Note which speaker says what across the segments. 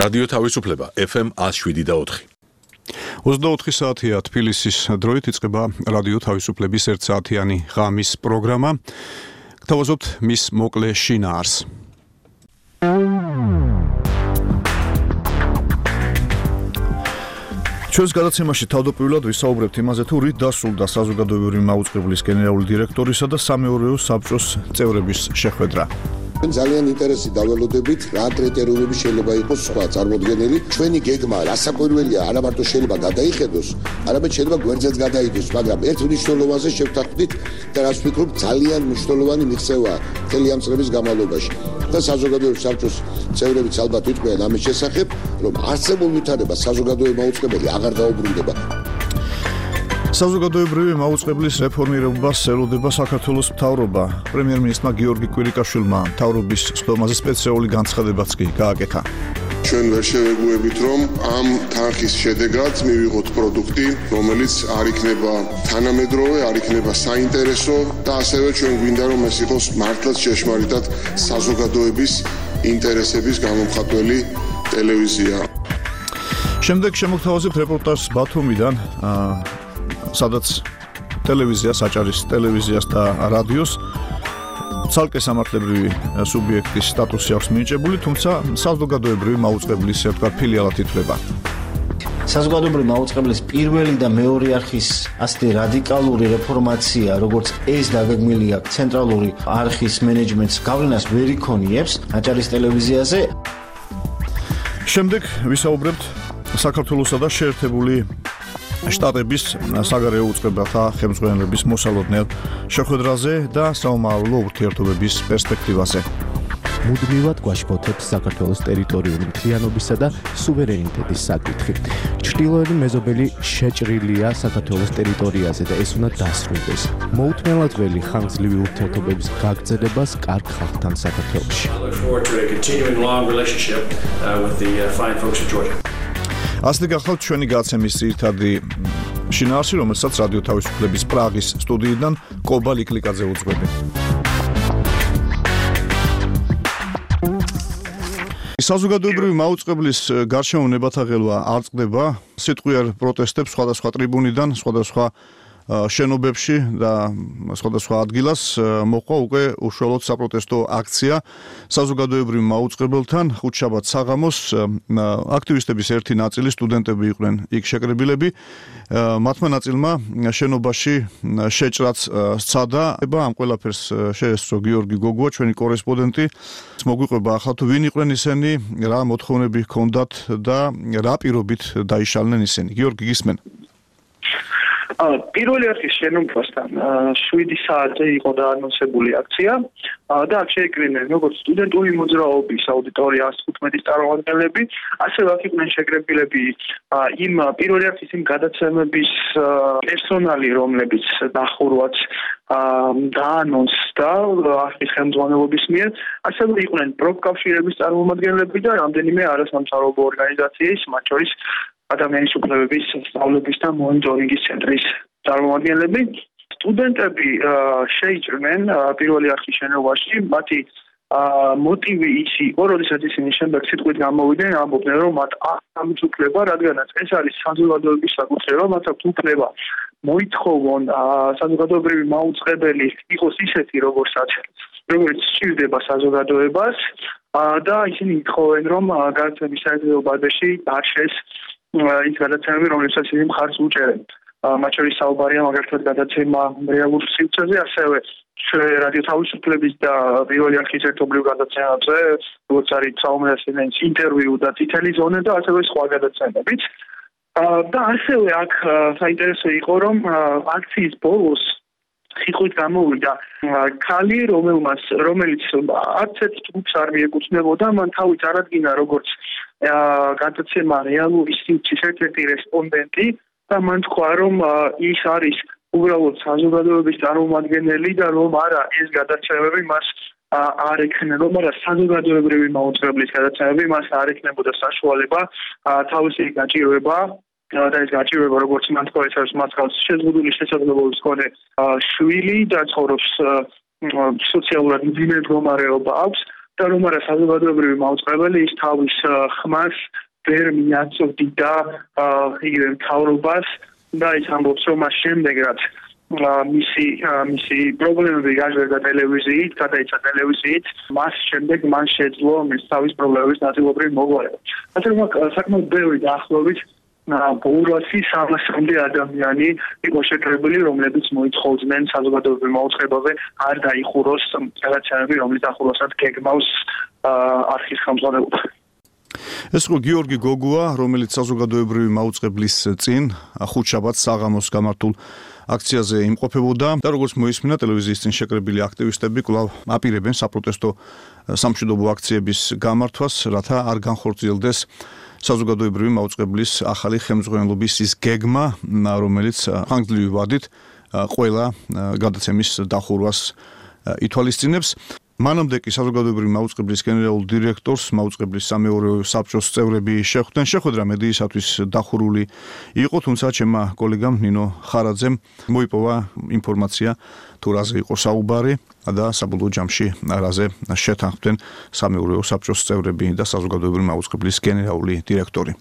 Speaker 1: რადიო თავისუფლება FM 107.4.
Speaker 2: 24 საათია თბილისის დროით იწყება რადიო თავისუფლების 1 საათიანი ღამის პროგრამა. გთავაზობთ მის მოკლე შინაარს. ჩვენს გადაცემაში თავდაპირველად ვისაუბრებთ იმაზე, თუ რით დასრულდა საზოგადოებრივი მაუწყებლის გენერალური დირექტორისა და სამეურვეო საბჭოს წევრების შეხვედრა.
Speaker 3: ძალიან ინტერესი დავალოდებით, რა კრიტერიუმები შეიძლება იყოს სხვა წარმოდგენილი. ჩვენი გეგმა რასაკვირველია, არა მარტო შეიძლება გადაიხედოს, არამედ შეიძლება გვერდზეც გადაიდოს, მაგრამ ერთ მნიშვნელოვანზე შევთანხმდით და რაც ვფიქრობ, ძალიან მნიშვნელოვანი მიღწევაა მთელი ამ წლების განმავლობაში. და საზოგადოებრივი საბჭოს წევრებიც ალბათ იტყვიან ამის შესახებ, რომ არსებულ ვითარებას საზოგადოებრივი მაუწყებელი აღარ დაუბრუნდება.
Speaker 2: საზოგადოებრივი მაუწყებლის რეფორმირებას ელოდება საქართველოს მთავრობა. პრემიერ-მინისტრმა გიორგი კვირიკაშვილმა მთავრობის სხდომაზე სპეციალური განცხადებაც კი გააკეთა.
Speaker 4: ჩვენ ვერ შევეგუებით, რომ ამ თანხის შედეგად მივიღოთ პროდუქტი, რომელიც არ იქნება თანამედროვე, არ იქნება საინტერესო და ასევე ჩვენ გვინდა, რომ ეს იყოს მართლაც ჭეშმარიტად საზოგადოების ინტერესების გამომხატველი ტელევიზია.
Speaker 2: შემდეგ შემოგთავაზებთ რეპორტაჟს ბათუმიდან, სადაც ტელევიზიას, აჭარის ტელევიზიას და რადიოს ცალკე სამართლებრივი სუბიექტის სტატუსი აქვს მინიჭებული, თუმცა საზოგადოებრივი მაუწყებლის ფილიალად ითვლება.
Speaker 5: საზოგადოებრივი მაუწყებლის პირველი და მეორე არხის ასეთი რადიკალური რეფორმაცია, როგორც ეს დაგეგმილი აქვს ცენტრალური არხის მენეჯმენტს გავლენას ვერ იქონიებს აჭარის ტელევიზიაზე.
Speaker 2: შემდეგ ვისაუბრებთ საქართველოსა და შეერთებული შტატების საგარეო უწყებათა ხელმძღვანელების მოსალოდნელ შეხვედრაზე და საომავლო ურთიერთობების პერსპექტივაზე.
Speaker 6: მუდმივად გვაშფოთებს საქართველოს ტერიტორიული მთლიანობისა და სუვერენიტეტის საკითხი. ჩრდილოეთი მეზობელი შეჭრილია საქართველოს ტერიტორიაზე და ეს უნდა დასრულდეს. მოუთმენლად ველი ხანგრძლივი ურთიერთობების გაგრძელებას კარგ ხალხთან საქართველოში.
Speaker 2: ასეთი გახლავთ ჩვენი გაცემის ძირითადი შინაარსი, რომელსაც რადიო თავისუფლების პრაღის სტუდიიდან კობა ლიკლიკაძე უძღვები. საზოგადოებრივი მაუწყებლის გარშემო ნებათაღელვა არ წყდება. სიტყვიერ პროტესტებს სხვადასხვა ტრიბუნიდან, სხვადასხვა შენობებში და სხვადასხვა ადგილას მოყვა უკვე უშუალოდ საპროტესტო აქცია საზოგადოებრივ მაუწყებელთან. ხუთშაბათ საღამოს აქტივისტების ერთი ნაწილი სტუდენტები იყვნენ იქ შეკრებილები. მათმა ნაწილმა შენობაში შეჭრაც სცადა. ამ ყველაფერს შეესწრო გიორგი გოგუა, ჩვენი კორესპონდენტი. მოგვიყვება ახლა თუ ვინ იყვნენ ისინი, რა მოთხოვნები ჰქონდათ და რა პირობით დაიშალნენ ისინი. გიორგი, გისმენ?
Speaker 7: პირველი არხის შენობასთან 7 საათზე იყო დაანონსებული აქცია და აქ შეიკრიბნენ როგორც სტუდენტური მოძრაობის აუდიტორია 115-ის წარმომადგენლები, ასევე აქ იყვნენ შეკრებილები იმ პირველი არხის იმ გადაცემების პერსონალი, რომლებიც დახურვაც დაანონსდა არხის ხელმძღვანელობის მიერ, ასევე იყვნენ პროფკავშირების წარმომადგენლები და რამდენიმე არასამთავრობო ორგანიზაციის, მათ შორის ადამიანის უფლებების სწავლების და მონიტორინგის ცენტრის წარმომადგენლები. სტუდენტები შეიჭრნენ პირველი არხის შენობაში. მათი მოტივი ის იყო, როდესაც ისინი შემდეგ სიტყვით გამოვიდნენ, ამბობდნენ, რომ მათ ამით უფლება, რადგანაც ეს არის საზოგადოების საკუთრება, მათ აქვს უფლება მოითხოვონ საზოგადოებრივი მაუწყებელი იყოს ისეთი, როგორც სჭირდება საზოგადოებას და ისინი ითხოვენ, რომ გადაცემის საერთაშორისო ბაზაში დარჩეს ის გადაცემები, რომლებსაც ისინი მხარს უჭერენ. მათ შორის საუბარია მაგალითად გადაცემა რეალურ სივრცეზე, ასევე რადიო თავისუფლების და პირველი არხის ერთობლივ გადაცემებზე, როგორც არის საომრასენის ინტერვიუ და წითელი ზონა და ასევე სხვა გადაცემებიც. და ასევე აქ საინტერესო იყო, რომ აქციის ბოლოს სიტყვით გამოვიდა ქალი, რომელიც არცერთ ჯგუფს არ მიეკუთვნებოდა, მან თავი წარადგინა როგორც გადაცემა რეალური სივრცის ერთ-ერთი რესპონდენტი და მან თქვა, რომ ის არის უბრალოდ საზოგადოების წარმომადგენელი და რომ არა ეს გადაცემები მას არ ექნება, მაგრამ საზოგადოებრივი მაუწყებლის გადაცემები მას არ ექნებოდა საშუალება თავისი გაჭირვება და ეს გაჭირვება, როგორც მან თქვა, ეს არის მას გავს შეზღუდული შესაძლებლობის მქონე შვილი და ცხოვრობს სოციალურად მძიმე მდგომარეობა აქვს და რომ არა საზოგადოებრივი მაუწყებელი ის თავის ხმას ვერ მიაწვდიდა იგივე მთავრობას და ის ამბობს რომ მას შემდეგ რაც მისი პრობლემები გაჟღერდა ტელევიზიით, გადაიცა ტელევიზიით, მას შემდეგ მან შეძლო მის თავის პრობლემების ნაწილობრივ მოგვარება. ასე რომ საკმაოდ ბევრი დაახლოებით 200-300 ადამიანი იყო შეკრებილი, რომლებიც მოითხოვდნენ საზოგადოებრივ მაუწყებელზე არ დაიხუროს გადაცემები, რომლის დახურვასაც გეგმავს არხის ხელმძღვანელობა.
Speaker 2: ეს იყო გიორგი გოგუა, რომელიც საზოგადოებრივი მაუწყებლის წინ ხუთშაბათს საღამოს გამართულ აქციაზე იმყოფებოდა და როგორც მოისმინა ტელევიზიის წინ შეკრებილი აქტივისტები კვლავ აპირებენ საპროტესტო სამშვიდობო აქციების გამართვას, რათა არ განხორციელდეს საზოგადოებრივი მაუწყებლის ახალი ხელმძღვანელობის ის გეგმა, რომელიც ხანგრძლივი ვადით ყველა გადაცემის დახურვას ითვალისწინებს. მანამდე კი საზოგადოებრივი მაუწყებლის გენერალურ დირექტორს მაუწყებლის სამეურვეო საბჭოს წევრები შეხვდნენ. შეხვედრა მედიისათვის დახურული იყო, თუმცა ჩემმა კოლეგამ ნინო ხარაძემ მოიპოვა ინფორმაცია თუ რაზე იყო საუბარი და საბოლოო ჯამში რაზე შეთანხმდნენ სამეურვეო საბჭოს წევრები და საზოგადოებრივი მაუწყებლის გენერალური დირექტორი.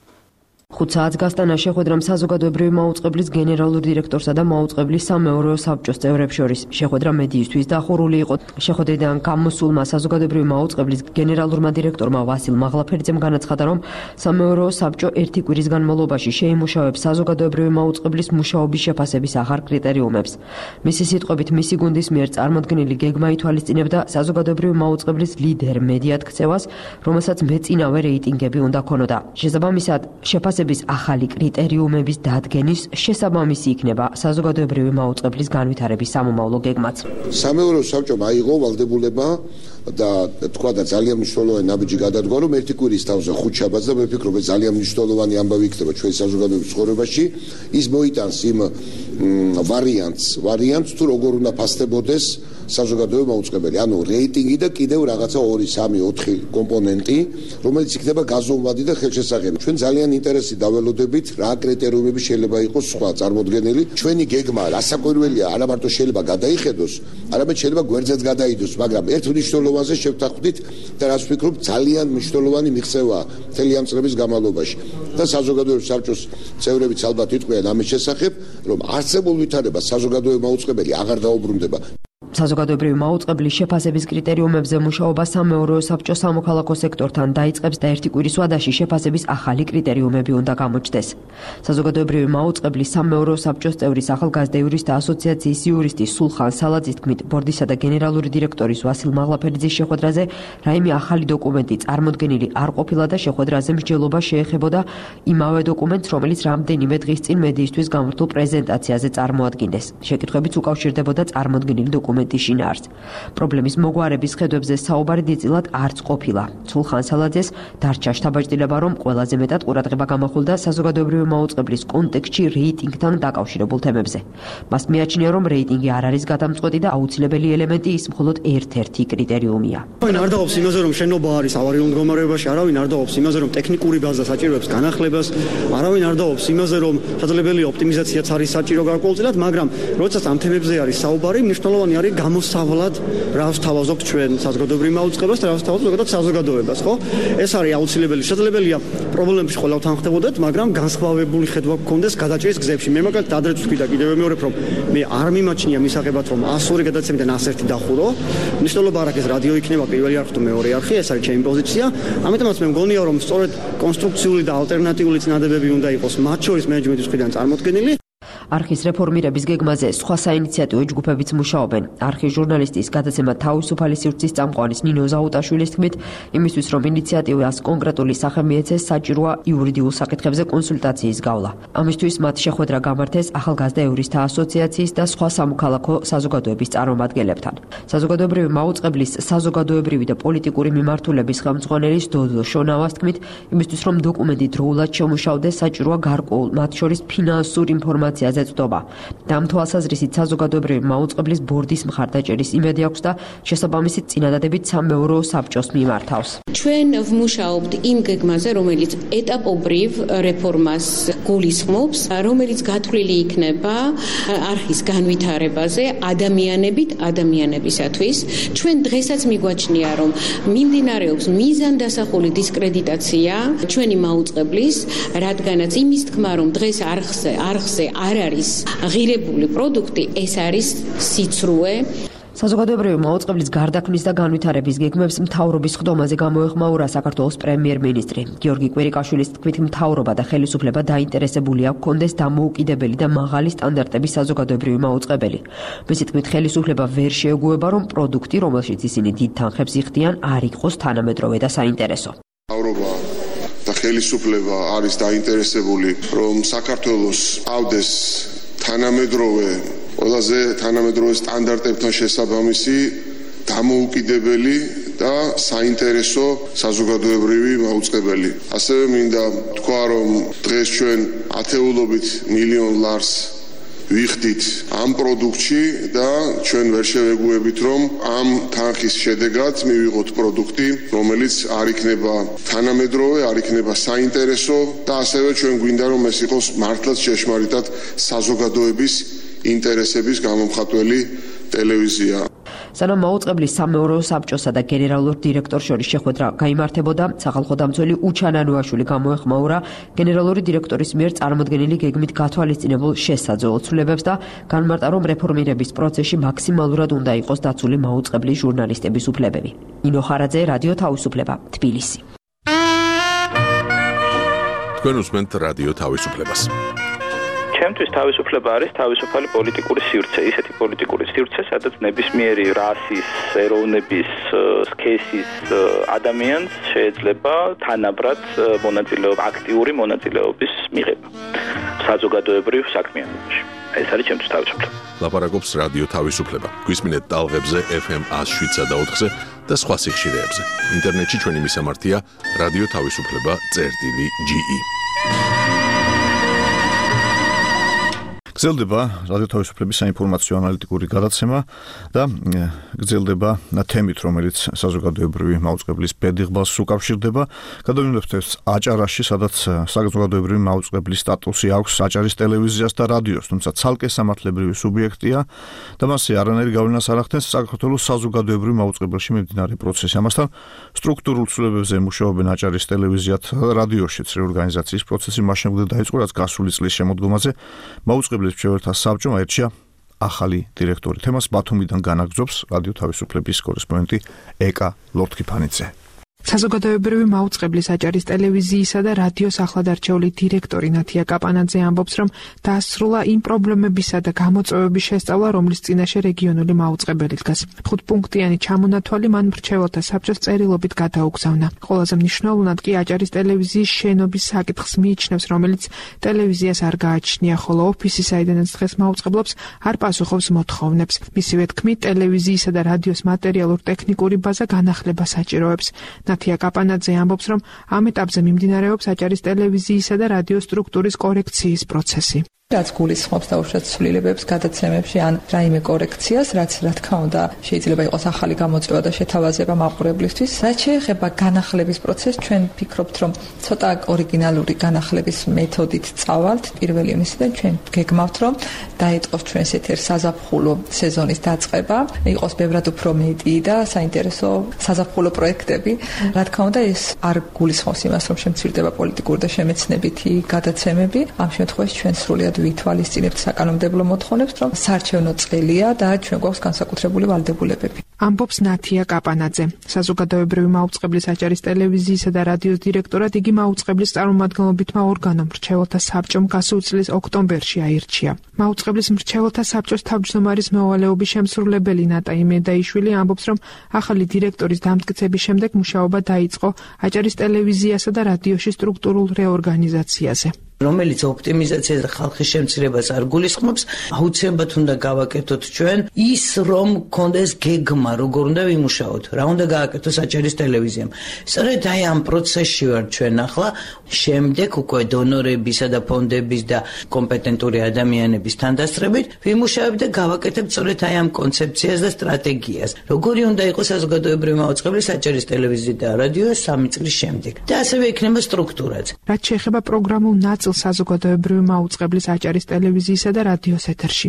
Speaker 8: 5 საათს გასტანა შეხვედრამ საზოგადოებრივი მაუწყებლის გენერალურ დირექტორსა და მაუწყებლის სამეურვეო საბჭოს წევრებს შორის. შეხვედრა მედიისთვის დახურული იყო. შეხვედრიდან გამოსულმა საზოგადოებრივი მაუწყებლის გენერალურმა დირექტორმა ვასილ მაღლაფერიძემ განაცხადა, რომ სამეურვეო საბჭო ერთი კვირის განმავლობაში შეიმუშავებს საზოგადოებრივი მაუწყებლის მუშაობის შეფასების ახალ კრიტერიუმებს. მისი სიტყვებით, მისი გუნდის მიერ წარმოქმნილი გეგმა ითვალისწინებდა საზოგადოებრივი მაუწყებლის ლიდერ მედიად ქცევას, რომელსაც მეწინავე რეიტინგები უნდა ქონოდა. შესაბამისად, შეფასების ახალი კრიტერიუმების დადგენის შესაბამისი იქნება საზოგადოებრივი მაუწყებლის განვითარების სამომავლო გეგმაც.
Speaker 3: სამეურვეო საბჭომ აიღო ვალდებულება და თქვა და ძალიან მნიშვნელოვანი ნაბიჯი გადადგა, რომ ერთი კვირის თავზე ხუთშაბათს და მე ვფიქრობ, ეს ძალიან მნიშვნელოვანი ამბავი იქნება ჩვენი საზოგადოების ცხოვრებაში. ის მოიტანს იმ ვარიანტს თუ როგორ უნდა ფასდებოდეს საზოგადოებრივი მაუწყებელი, ანუ რეიტინგი და კიდევ რაღაცა 2, 3, 4 კომპონენტი, რომელიც იქნება გაზომვადი და ხელშესახები. ჩვენ ძალიან ინტერესი დაველოდებით, რა კრიტერიუმები შეიძლება იყოს სხვა წარმოდგენილი. ჩვენი გეგმა რასაკვირველია, არა მარტო შეიძლება გადაიხედოს, არამედ შეიძლება გვერდზეც გადაიდოს, მაგრამ ერთ მნიშვნელოვანზე შევთანხმდით და რაც ვფიქრობ, ძალიან მნიშვნელოვანი მიღწევაა მთელი ამ წლების განმავლობაში. და საზოგადოებრივი საბჭოს წევრებიც ალბათ იტყვიან ამის შესახებ, რომ არსებულ ვითარებას საზოგადოებრივი მაუწყებელი აღარ დაუბრუნდება.
Speaker 8: საზოგადოებრივი მაუწყებლის შეფასების კრიტერიუმებზე მუშაობა სამეურვეო საბჭოს სამოქალაქო სექტორთან დაიწყებს და ერთი კვირის ვადაში შეფასების ახალი კრიტერიუმები უნდა გამოჩნდეს. საზოგადოებრივი მაუწყებლის სამეურვეო საბჭოს წევრის ახალგაზრდა იურისტთა ასოციაციის იურისტი სულხან სალაძის თქმით, ბორდისა და გენერალური დირექტორის ვასილ მაღლაფერიძის შეხვედრაზე რაიმე ახალი დოკუმენტი წარმოდგენილი არ ყოფილა და შეხვედრაზე მსჯელობა შეეხებოდა იმავე დოკუმენტს, რომელიც რამდენიმე დღის წინ მედიისთვის გამართულ პრეზენტაციაზე წარმოადგინეს. შეკითხვებიც უკავშირდებოდა წარმოდგენილი დოკუმენტის შინაარსს. პრობლემის მოგვარების ხედვებზე საუბარი დიდწილად არც ყოფილა. სულხან სალაძეს დარჩა შთაბეჭდილება, რომ ყველაზე მეტად ყურადღება გამახვილდა საზოგადოებრივი მაუწყებლის კონტექსტში რეიტინგთან დაკავშირებულ თემებზე. მას მიაჩნია, რომ რეიტინგი არ არის გადამწყვეტი და აუცილებელი ელემენტი ის მხოლოდ ერთ-ერთი კრიტერიუმია.
Speaker 9: არავინ არ დაობს იმაზე, რომ შენობა არის ავარიულ მდგომარეობაში, არავინ არ დაობს იმაზე, რომ ტექნიკური ბაზა საჭიროებს განახლებას, არავინ არ დაობს იმაზე, რომ შესაძლებელია ოპტიმიზაციაც არის საჭირო გარკვეულწილად, მაგრამ როდესაც ამ თემებზე არის საუბარი, მნიშვნელოვანი არის გამოსავლად რა ვსთავაზობთ ჩვენ საზოგადოებრივ მაუწყებლობას და რა ვსთავაზობთ ზოგადად საზოგადოებას, ხო? ეს არის აუცილებელი. შესაძლებელია პრობლემებში ყველა თანხმდებოდეთ, მაგრამ განსხვავებული ხედვა გქონდეს გადაჭრის გზებში. მე მაგალითად ადრეც ვთქვი და კიდევ ვიმეორებ, რომ მე არ მიმაჩნია მისაღებად, რომ 102 გადაცემიდან 101 დახურო. მნიშვნელობა არ აქვს რადიო იქნება პირველი არხი თუ მეორე არხი, ეს არის ჩემი პოზიცია. ამიტომაც მე მგონია, რომ სწორედ კონსტრუქციული და ალტერნატიული წინადებები უნდა იყოს მათ შორის მენეჯმენტის მხრიდან წარმოქმნილი.
Speaker 8: არხის რეფორმირების გეგმაზე სხვა საინიციატივო ჯგუფებიც მუშაობენ. არხის ჟურნალისტის გადაცემა თავისუფალი სივრცის წამყვანის ნინო ზაუტაშვილის თქმით, იმისთვის რომ ინიციატივას კონკრეტული სახე მიეცეს, საჭიროა იურიდიულ საკითხებზე კონსულტაციის გავლა. ამისთვის მათ შეხვედრა გამართეს ახალგაზრდა იურისტთა ასოციაციის და სხვა სამოქალაქო საზოგადოების წარმომადგენლებთან. საზოგადოებრივი მაუწყებლის საზოგადოებრივი და პოლიტიკური მიმართულების ხელმძღვანელის დოდო შონავას თქმით, იმისთვის რომ დოკუმენტი დროულად შემუშავდეს, საჭიროა გარკვეულ მათ შორის ფინანსურ ინფორმაციაზე დონეზე წვდომა. ამ თვალსაზრისით საზოგადოებრივი მაუწყებლის ბორდის მხარდაჭერის იმედი აქვს და შესაბამისით წინადადებით სამეურვეო საბჭოს მიმართავს.
Speaker 10: ჩვენ ვმუშაობთ იმ გეგმაზე, რომელიც ეტაპობრივ რეფორმას გულისხმობს, რომელიც გათვლილი იქნება არხის განვითარებაზე ადამიანებისათვის. ჩვენ დღესაც მიგვაჩნია, რომ მიმდინარეობს მიზანდასახული დისკრედიტაცია ჩვენი მაუწყებლის, რადგანაც იმის თქმა, რომ დღეს არხზე არ არის ღირებული პროდუქტი, ეს არის სიცრუე.
Speaker 8: საზოგადოებრივი მაუწყებლის გარდაქმნის და განვითარების გეგმებს მთავრობის ხდომაზე გამოეხმაურა საქართველოს პრემიერ-მინისტრი. გიორგი კვირიკაშვილის თქმით, მთავრობა და ხელისუფლება დაინტერესებულია გქონდეს დამოუკიდებელი და მაღალი სტანდარტების საზოგადოებრივი მაუწყებელი. მისი თქმით, ხელისუფლება ვერ შეეგუება, რომ პროდუქტი, რომელშიც ისინი დიდ თანხებს იხდიან, არ იყოს თანამედროვე და საინტერესო.
Speaker 4: მთავრობა და ხელისუფლება არის დაინტერესებული, რომ საქართველოს ავდეს ყველაზე თანამედროვე სტანდარტებთან შესაბამისი დამოუკიდებელი და საინტერესო საზოგადოებრივი მაუწყებელი. ასევე მინდა თქვა, რომ დღეს ჩვენ ათეულობით მილიონ ლარს ვიხდით ამ პროდუქტში და ჩვენ ვერ შევეგუებით, რომ ამ თანხის შედეგად მივიღოთ პროდუქტი, რომელიც არ იქნება თანამედროვე, არ იქნება საინტერესო და ასევე ჩვენ გვინდა, რომ ეს იყოს მართლაც ჭეშმარიტად საზოგადოების ინტერესების გამომხატველი ტელევიზია.
Speaker 8: სანამ მაუწყებლის სამეურვეო საბჭოსა და გენერალურ დირექტორს შორის შეხვედრა გაიმართებოდა, სახალხო დამცველი უჩან ანუაშვილი გამოეხმაურა გენერალური დირექტორის მიერ წარმოდგენილი გეგმით გათვალისწინებულ შესაძლო ცვლილებებს და განმარტა, რომ რეფორმირების პროცესში მაქსიმალურად უნდა იყოს დაცული მაუწყებლის ჟურნალისტების უფლებები. ნინო ხარაძე, რადიო თავისუფლება, თბილისი.
Speaker 1: თქვენ უსმენთ რადიო თავისუფლებას.
Speaker 11: ჩემთვის თავისუფლება არის თავისუფალი პოლიტიკური სივრცე, ისეთი პოლიტიკური სივრცე, სადაც ნებისმიერი რასის, ეროვნების, სქესის ადამიანს შეიძლება თანაბრად აქტიური მონაწილეობის მიღება საზოგადოებრივ საქმიანობაში. ეს არის ჩემთვის თავისუფლება.
Speaker 1: ლაპარაკობს რადიო თავისუფლება. გვისმინეთ ტალღებზე FM 107.4-ზე და სხვა სიხშირეებზე. ინტერნეტში ჩვენი მისამართია რადიო თავისუფლება.ge.
Speaker 2: გრძელდება რადიო თავისუფლების საინფორმაციო ანალიტიკური გადაცემა და გრძელდება თემით, რომელიც საზოგადოებრივი მაუწყებლის ბედიღბალს უკავშირდება. გადავინებთ ეს აჭარაში, სადაც საზოგადოებრივი მაუწყებლის სტატუსი აქვს აჭარის ტელევიზიას და რადიოს, თუმცა ცალკე სამართლებრივი სუბიექტია და მასზე არანაირი გავლენას არ ახდენს საქართველოს საზოგადოებრივ მაუწყებელში მიმდინარე პროცესი. ამასთან სტრუქტურულ ცვლილებებზე მუშაობენ აჭარის ტელევიზიათ და რადიოშიც რეორგანიზაციის პროცესი მას შემდეგ დაიწყო, რაც გასული წლის შემოდგომაზე მაუწყებლის მრჩეველთა საბჭომ აირჩია ახალი დირექტორი. თემას ბათუმიდან განაგრძობს რადიო თავისუფლების კორესპონდენტი ეკა ლორთქიფანიძე.
Speaker 12: საზოგადოებრივი მაუწყებლის აჭარის ტელევიზიისა და რადიოს ახლადარჩეული დირექტორი ნათია კაპანაძე ამბობს, რომ დაასრულა იმ პრობლემებისა და გამოწვევების შესწავლა, რომლის წინაშე რეგიონული მაუწყებელი დგას. 5-პუნქტიანი ჩამონათვალი მან მრჩეველთა საბჭოს წერილობით გადაუგზავნა. ყველაზე მნიშვნელოვნად კი აჭარის ტელევიზიის შენობის საკითხს მიიჩნევს, რომელიც ტელევიზიას არ გააჩნია, ხოლო ოფისი, საიდანაც დღეს მაუწყებლობს, არ პასუხობს მოთხოვნებს. მისივე თქმით, ტელევიზიისა და რადიოს მატერიალურ-ტექნიკური ბაზა განახლებას საჭიროებს. ნათია კაპანაძე ამბობს, რომ ამ ეტაპზე მიმდინარეობს აჭარის ტელევიზიისა და რადიოს სტრუქტურის კორექციის პროცესი.
Speaker 13: რაც გულისხმობს დაუშვათ ცვლილებებს გადაცემებში ან რაიმე კორექციას, რაც რა თქმა უნდა შეიძლება იყოს ახალი გამოწვევა და შეთავაზება მაყურებლისთვის. რაც შეეხება განახლების პროცესს, ჩვენ ვფიქრობთ, რომ ცოტა ორიგინალური განახლების მეთოდით წავალთ. პირველი ივნისიდან ჩვენ გეგმავთ, რომ დაიწყოს ჩვენს ეთერს საზაფხულო სეზონის დაწყება, იყოს ბევრად უფრო მეტი და საინტერესო საზაფხულო პროექტები. რა თქმა უნდა, ეს არ გულისხმობს იმას, რომ შემცირდება პოლიტიკური და შემეცნებითი გადაცემები. ამ შემთხვევაში ჩვენ სრულად ვითვალისწინებთ საკანონმდებლო მოთხოვნებს, რომ საარჩევნო წელია და ჩვენ გვაქვს განსაკუთრებული ვალდებულებები.
Speaker 12: ამბობს ნათია კაპანაძე. საზოგადოებრივი მაუწყებლის აჭარის ტელევიზიისა და რადიოს დირექტორად იგი მაუწყებლის წარმომადგენლობითმა ორგანომ მრჩეველთა საბჭომ გასულ წლის ოქტომბერში აირჩია. მაუწყებლის მრჩეველთა საბჭოს თავმჯდომარის მეუღლეობის შემსრულებელი ნატა იმედაიშვილი ამბობს, რომ ახალი დირექტორის დამტკიცების შემდეგ მუშაობა დაიწყო აჭარის ტელევიზიასა და რადიოში სტრუქტურულ რეორგანიზაციაზე.
Speaker 14: რომელიც ოპტიმიზაციას და ხალხის შემცირებას არ გულისხმობს, აუცილებლად უნდა გავაკეთოთ ჩვენ ის, რომ გქონდეს გეგმა, როგორ უნდა ვიმუშაოთ, რა უნდა გააკეთოს საჭირის ტელევიზიამ. სწორედ აი ამ პროცესში ვარ ჩვენ ახლა, შემდეგ უკვე დონორებისა და ფონდების და კომპეტენტური ადამიანების თანდასწრებით ვიმუშავებ და გავაკეთებ სწორედ აი ამ კონცეფციას და სტრატეგიას. როგორი უნდა იყოს საზოგადოებრივი მაუწყებლის საჭირის ტელევიზია და რადიო 3 წლის შემდეგ. და ასევე იქნება სტრუქტურაც.
Speaker 12: რაც შეეხება პროგრამულ ნაწილს საზოგადოებრივი მაუწყებლის საჭირის ტელევიზიისა და რადიოს ეთერში.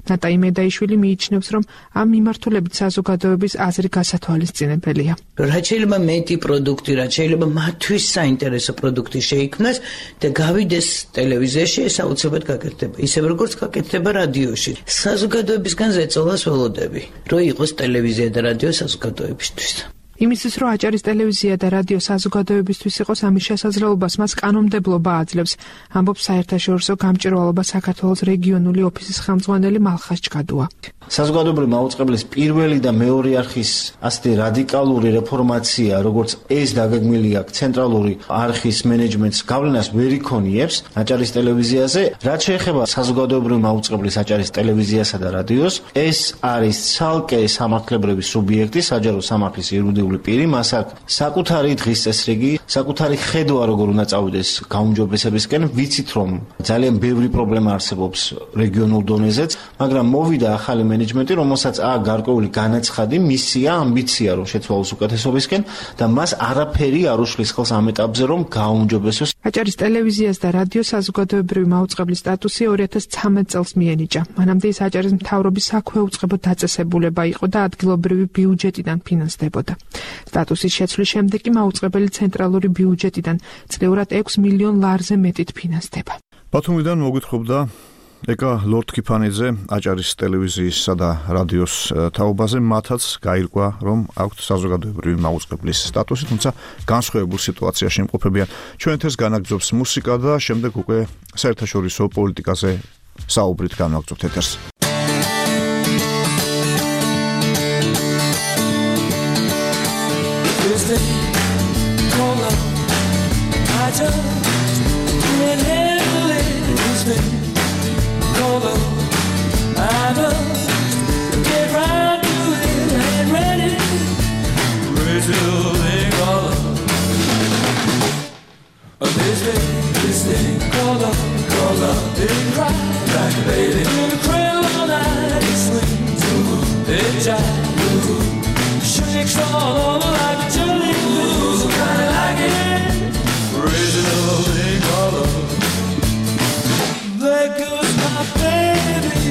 Speaker 12: ნატაი მედაიშვილი მიიჩნევს, რომ ამ მიმართულებით საზოგადოების აზრი გასათვალისწინებელია.
Speaker 14: რაც შეიძლება მეტი პროდუქტი, რაც შეიძლება მათთვის საინტერესო პროდუქტი შეიქმნას და გავიდეს ტელევიზიაში, ეს აუცილებლად გაკეთდება. ისევ როგორც გაკეთდება რადიოში. საზოგადოებისგან ზეწოლას ველოდები, რომ იყოს ტელევიზია და რადიო საზოგადოებისთვის.
Speaker 12: იმისთვის, რომ აჭარის ტელევიზია და რადიო საზოგადოებისთვის იყოს ამის შესაძლებლობას, მას კანონმდებლობა აძლევს, ამბობს საერთაშორისო გამჭვირვალობა საქართველოს რეგიონული ოფისის ხელმძღვანელი მალხას ჩკადუა.
Speaker 5: საზოგადოებრივი მაუწყებლის პირველი და მეორე არხის ასეთი რადიკალური რეფორმაცია, როგორც ეს დაგეგმილი აქვს ცენტრალური არხის მენეჯმენტს გავლენას ვერ იქონიებს აჭარის ტელევიზიაზე, რაც შეეხება საზოგადოებრივი მაუწყებლის აჭარის ტელევიზიასა და რადიოს, ეს არის ცალკე სამართლებრივი სუბიექტი, საჯარო სამართლის იურიდიული პირი, მას აქვს საკუთარი დღის წესრიგი, საკუთარი ხედვა როგორ უნდა წავიდეს გაუმჯობესებისკენ. ვიცით, რომ ძალიან ბევრი პრობლემა არსებობს რეგიონულ დონეზეც, მაგრამ მოვიდა ახალი მენეჯმენტი, რომელსაც აქვს გარკვეული განაცხადი, მისია, ამბიცია, რომ შეცვალოს უკეთესობისკენ და მას არაფერი არ უშლის ხელს ამ ეტაპზე, რომ გაუმჯობესოს.
Speaker 12: აჭარის ტელევიზიას და რადიოს საზოგადოებრივი მაუწყებლის სტატუსი 2013 წელს მიენიჭა. მანამდე ის აჭარის მთავრობის საქვეუწყებო დაწესებულება იყო და ადგილობრივი ბიუჯეტიდან ფინანსდებოდა. სტატუსის შეცვლის შემდეგ კი მაუწყებელი ცენტრალური ბიუჯეტიდან წლიურად 6 მილიონ ლარზე მეტით ფინანსდება.
Speaker 2: ბათუმიდან მოგვითხრობდა ეკა ლორდ-ქიფანიძე აჭარის ტელევიზიისა და რადიოს თაობაზე, მათაც გაირკვა, რომ აქვთ საზოგადოებრივი მაუწყებლის სტატუსი, თუმცა განსხვავებულ სიტუაციაში იმყოფებიან. ჩვენ ეთერს განაგრძობს მუსიკა და შემდეგ უკვე საერთაშორისო პოლიტიკაზე საუბრით განვაგრძობთ ეთერს.
Speaker 15: This thing called love, didn't cry like a baby. In the cradle all night, it swings, it jives, shakes all over like a jelly bean. Kinda like it, raising a little thing called love. There goes my baby.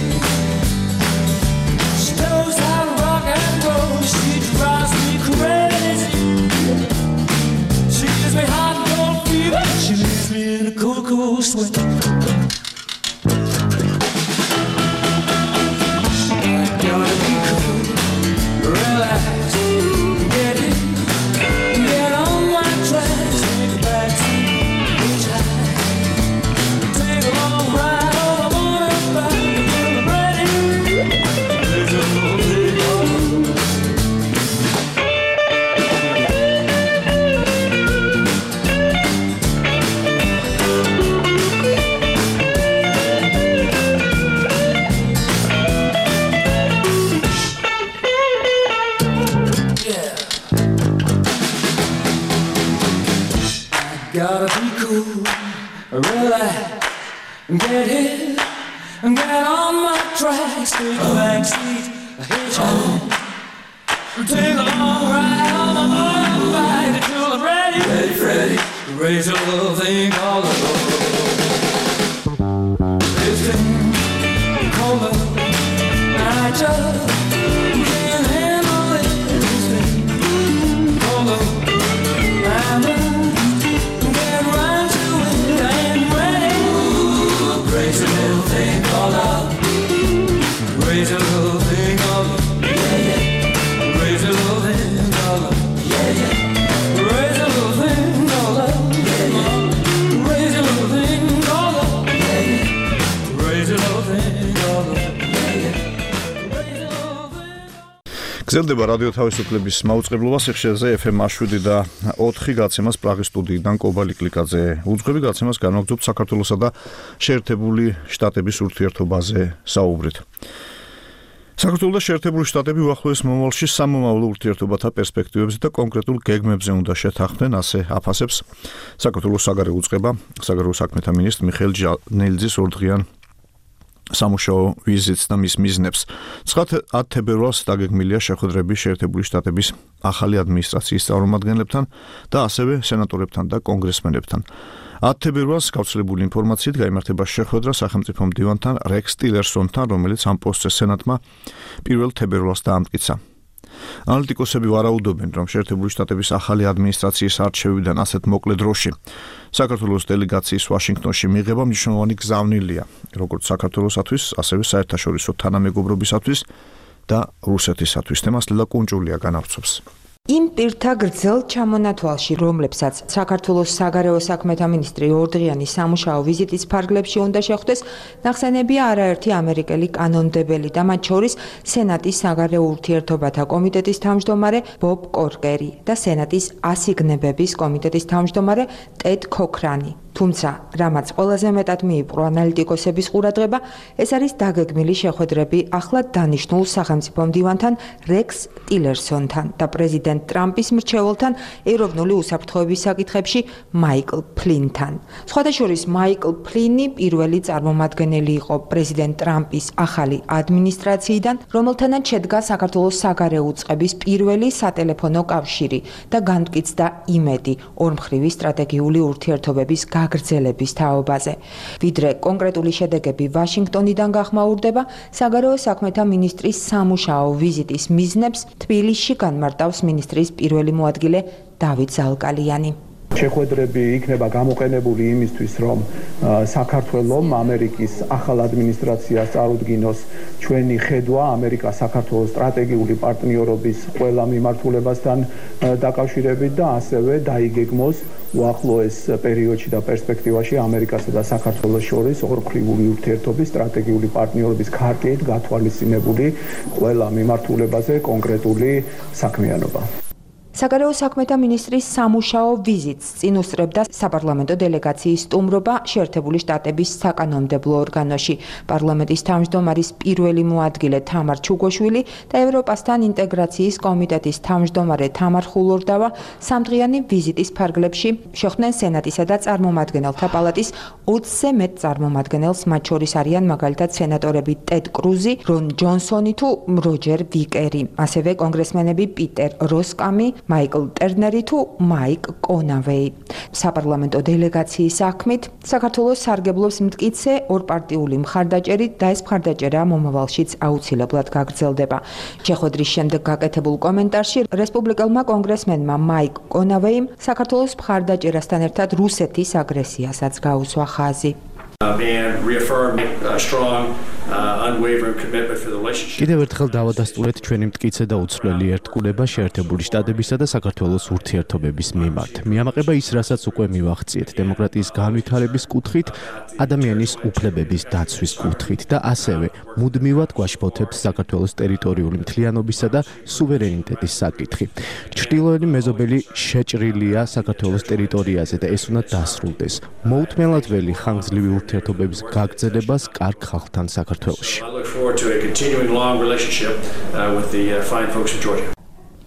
Speaker 15: She knows how to rock and roll. She drives me crazy. She gives me hot and cold fever. She leaves me in a cool, cool sweat. Gotta be cool, relax, get in, get on my tracks, take a backseat, hitchhike, take a long ride on the motorbike, get ready, there's a little thing called gotta be cool, relax, get in, get on my tracks, take a backseat, hitchhike, take a long ride on the motorbike until I'm ready, ready, raise a little thing called love. This thing called love, I just can't handle it. This thing called love, I'm get right to it, I ain't ready. Raise a little thing called love, raise a little thing called love, yeah, yeah. Raise a little thing called love, yeah, yeah. Raise a little thing called love, yeah, yeah. Raise a little thing called love, yeah, yeah. Raise a little thing called love, yeah, yeah.
Speaker 2: გრძელდება რადიო თავისუფლების მაუწყებლობა სიხშირეზე FM 7 და 4 გაცემას პრაღის სტუდიიდან კობალი კლიკაძე. უძღვები გაცემას განვაგრძობთ საქართველოსა და შეერთებული შტატების ურთიერთობაზე საუბრით. საქართველოს და შეერთებული შტატები უახლოეს მომავალში სამომავლო ურთიერთობათა პერსპექტივებზე და კონკრეტულ გეგმებზე უნდა შეთანხმდნენ, ასე აფასებს საქართველოს საგარეო უწყება, საგარეო საქმეთა მინისტრ მიხეილ ჟანელიძის ორდღიან სამუშაო ვიზიტს და მის მიზნებს. 9 თებერვალს დაგეგმილია შეხვედრები შეერთებული შტატების ახალი ადმინისტრაციის წარმომადგენლებთან და ასევე სენატორებთან და კონგრესმენებთან. 10 თებერვალს გავრცელებული ინფორმაციით გაიმართება შეხვედრა სახელმწიფო მდივანთან რექს ტილერსონთან, რომელიც ამ პოსტზე სენატმა 1 თებერვალს დაამტკიცა. ანალიტიკოსები ვარაუდობენ, რომ შეერთებული შტატების ახალი ადმინისტრაციის არჩევიდან ასეთ მოკლე დროში საქართველოს დელეგაციის ვაშინგტონში მიღება მნიშვნელოვანი გზავნილია, როგორც საქართველოსათვის, ასევე საერთაშორისო თანამეგობრობისათვის და რუსეთისათვის. თემას ლელა კუნჭულია განავრცობს.
Speaker 16: იმ პირთა გრძელ ჩამონათვალში, რომლებსაც საქართველოს საგარეო საქმეთა მინისტრი ორდღიანი სამუშაო ვიზიტის ფარგლებში უნდა შეხვდეს, ნახსენებია არაერთი ამერიკელი კანონმდებელი და მათ შორის სენატის საგარეო ურთიერთობათა კომიტეტის თავმჯდომარე ბობ კორკერი და სენატის ასიგნებების კომიტეტის თავმჯდომარე ტედ ქოქრანი. თუმცა, რამაც ყველაზე მეტად მიიპყრო ანალიტიკოსების ყურადღება, ეს არის დაგეგმილი შეხვედრები ახლად დანიშნულ სახელმწიფო მდივანთან რექს ტილერსონთან და პრეზიდენტ ტრამპის მრჩეველთან ეროვნული უსაფრთხოების საკითხებში მაიკლ ფლინთან. სხვადასხვა მაიკლ ფლინი პირველი წარმომადგენელი იყო პრეზიდენტ ტრამპის ახალი ადმინისტრაციიდან, რომელთანაც შედგა საქართველოს საგარეო უწყების პირველი სატელეფონო კავშირი და განმტკიცდა იმედი ორმხრივი სტრატეგიული ურთიერთობების გაგრძელების თაობაზე. ვიდრე კონკრეტული შედეგები ვაშინგტონიდან გახმაურდება, საგარეო საქმეთა მინისტრის სამუშაო ვიზიტის მიზნებს თბილისში განმარტავს მინისტრის პირველი მოადგილე დავით ზალკალიანი.
Speaker 17: შეხვედრები იქნება გამოყენებული იმისთვის, რომ საქართველოს ამერიკის ახალ ადმინისტრაციას წარუდგინოს ჩვენი ხედვა ამერიკა-საქართველოს სტრატეგიული პარტნიორობის ყველა მიმართულებასთან დაკავშირებით და ასევე დაიგეგმოს უახლოეს პერიოდში და პერსპექტივაში ამერიკასა და საქართველოს შორის ორმხრივი ურთიერთობის სტრატეგიული პარტნიორობის ქარტით გათვალისწინებული ყველა მიმართულებაზე კონკრეტული საქმიანობა.
Speaker 16: საგარეო საქმეთა მინისტრის სამუშაო ვიზიტს წინ უსწრებდა საპარლამენტო დელეგაციის სტუმრობა შეერთებული შტატების საკანონმდებლო ორგანოში. პარლამენტის თავმჯდომარის პირველი მოადგილე თამარ ჩუგოშვილი და ევროპასთან ინტეგრაციის კომიტეტის თავმჯდომარე თამარ ხულორდავა სამდღიანი ვიზიტის ფარგლებში შეხვდნენ სენატისა და წარმომადგენელთა პალატის 20-ზე მეტ წარმომადგენელს, მათ შორის არიან მაგალითად სენატორები ტედ კრუზი, რონ ჯონსონი თუ როჯერ ვიკერი, ასევე კონგრესმენები პიტერ როსკამი, მაიკლ ტერნერი თუ მაიკ კონავეი. საპარლამენტო დელეგაციის საქმით საქართველოს სარგებლობს მტკიცე ორპარტიული მხარდაჭერით და ეს მხარდაჭერა მომავალშიც აუცილებლად გაგრძელდება. შეხვედრის შემდეგ გაკეთებულ კომენტარში რესპუბლიკელმა კონგრესმენმა მაიკ კონავეიმ საქართველოს მხარდაჭერასთან ერთად რუსეთის აგრესიასაც გაუსვა ხაზი.
Speaker 6: კიდევ ერთხელ დავადასტურეთ ჩვენი მტკიცე და უცვლელი ერთგულება შეერთებული შტატებისა და საქართველოს ურთიერთობების მიმართ. მიამაყება ის, რასაც უკვე მივახციეთ დემოკრატიის განვითარების კუთხით, ადამიანის უფლებების დაცვის კუთხით და ასევე მუდმივად გვაშფოთებს საქართველოს ტერიტორიული მთლიანობისა და სუვერენიტეტის საკითხი. ჩრდილოეთი მეზობელი შეჭრილია საქართველოს ტერიტორიაზე და ეს უნდა დასრულდეს. მოუთმენლად ველი ხანგრძლივი ურთიერთობების გაგრძელებას კარგ ხალხთან საქართველოში.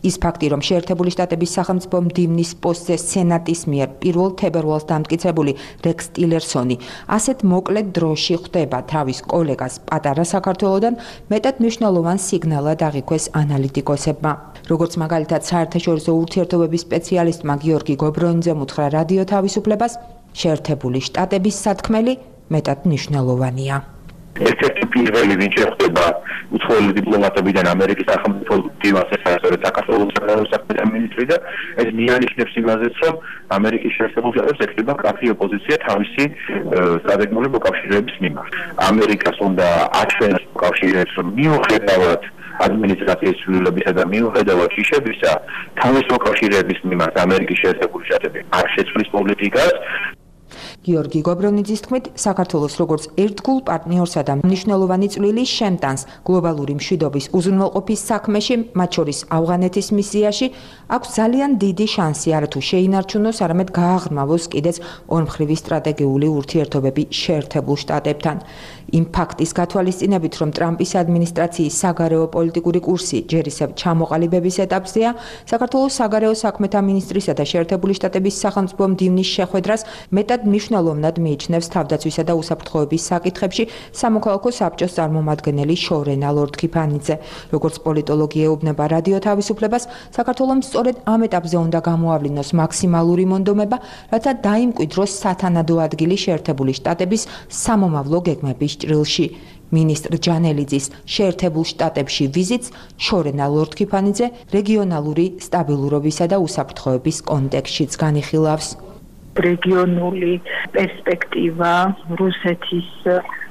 Speaker 16: ის ფაქტი, რომ შეერთებული შტატების სახელმწიფო მდივნის პოსტზე სენატის მიერ 1 თებერვალს დამტკიცებული რექს ტილერსონი ასეთ მოკლედ დროში ხვდება თავის კოლეგას პატარა საქართველოდან, მეტად მნიშვნელოვან სიგნალად აღიქვეს ანალიტიკოსებმა. როგორც მაგალითად საერთაშორისო ურთიერთობების სპეციალისტმა გიორგი გობრონიძემ უთხრა რადიო თავისუფლებას, შეერთებული შტატების სათქმელი მეტად მნიშვნელოვანია.
Speaker 18: ერთ-ერთი პირველი ვინც შეხვდება უცხოელი დიპლომატებიდან ამერიკის სახელმწიფო მდივანს, ასევე საქართველოს საგარეო საქმეთა მინისტრი და ეს მიანიშნებს იმაზეც, რომ ამერიკის შეერთებულ შტატებს ეკრიბა კაფე ოპოზიცია თავისი სტრატეგიული მოკავშირეების მიმართ. ამერიკას უნდა აჩვენოს მოკავშირეებს, რომ მიუხედავად ადმინისტრაციის ცვლილებისა და მიუხედავად შიშებისა, თავის მოკავშირეების მიმართ ამერიკის შეერთებული შტატები არ შეცვლის პოლიტიკას.
Speaker 16: გიორგი გობრონიძის თქმით, საქართველოს როგორც ერთგულ პარტნიორსა და მნიშვნელოვანი წვლილი შემტანს გლობალური მშვიდობის უზრუნველყოფის საქმეში, მათ შორის ავღანეთის მისიაში, აქვს ძალიან დიდი შანსი არათუ შეინარჩუნოს, არამედ გააღრმავოს კიდეც ორმხრივი სტრატეგიული ურთიერთობები შეერთებულ შტატებთან. იმ ფაქტის გათვალისწინებით, რომ ტრამპის ადმინისტრაციის საგარეო პოლიტიკური კურსი ჯერ ისევ ჩამოყალიბების ეტაპზეა, საქართველოს საგარეო საქმეთა მინისტრისა და შეერთებული შტატების სახელმწიფო მდივნის შეხვედრას მეტად მნიშვნელოვნად მიიჩნევს თავდაცვისა და უსაფრთხოების საკითხებში სამოქალაქო საბჭოს წარმომადგენელი შორენა ლორდ-ქიფანიძე. როგორც პოლიტოლოგი ეუბნება რადიო თავისუფლებას, საქართველოს სწორედ ამ ეტაპზე უნდა გამოავლინოს მაქსიმალური მონდომება, რათა დაიმკვიდროს სათანადო ადგილი შეერთებული შტატების სამომავლო გეგმების ჭრილში. მინისტრ ჯანელიძის შეერთებულ შტატებში ვიზიტს შორენა ლორდ-ქიფანიძე რეგიონალური სტაბილურობისა და უსაფრთხოების კონტექსტშიც განიხილავს.
Speaker 19: რეგიონული პერსპექტივა, რუსეთის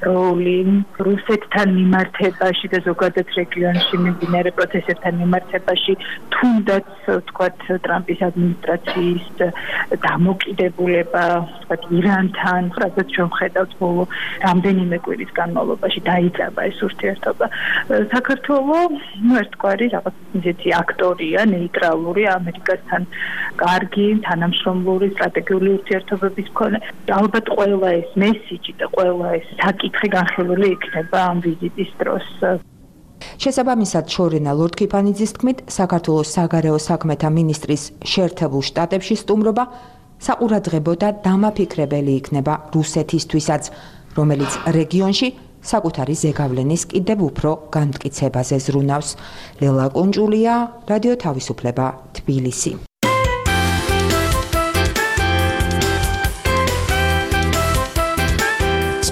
Speaker 19: როლი, რუსეთთან მიმართებაში და ზოგადად რეგიონში მიმდინარე პროცესებთან მიმართებაში, თუნდაც ვთქვათ ტრამპის ადმინისტრაციის დამოკიდებულება, ვთქვათ ირანთან, რაც ჩვენ ხედავთ ბოლო რამდენიმე კვირის განმავლობაში დაიწყება ეს ურთიერთობა. საქართველოს ერთგვარი რაღაც ისეთი აქტორია, ნეიტრალური, ამერიკასთან კარგი, თანამშრომლური სტრატეგიული ურთიერთობების მქონე. ალბათ ყველა ეს მესიჯი და ყველა ეს საკითხი განხილული იქნება ამ ვიზიტის დროს.
Speaker 16: შესაბამისად, შორენა ლორდ-ქიფანიძის თქმით, საქართველოს საგარეო საქმეთა მინისტრის შეერთებულ შტატებში სტუმრობა საყურადღებო და დამაფიქრებელი იქნება რუსეთისთვისაც, რომელიც რეგიონში საკუთარი ზეგავლენის კიდევ უფრო განმტკიცებაზე ზრუნავს. ლელა კუნჭულია, რადიო თავისუფლება, თბილისი.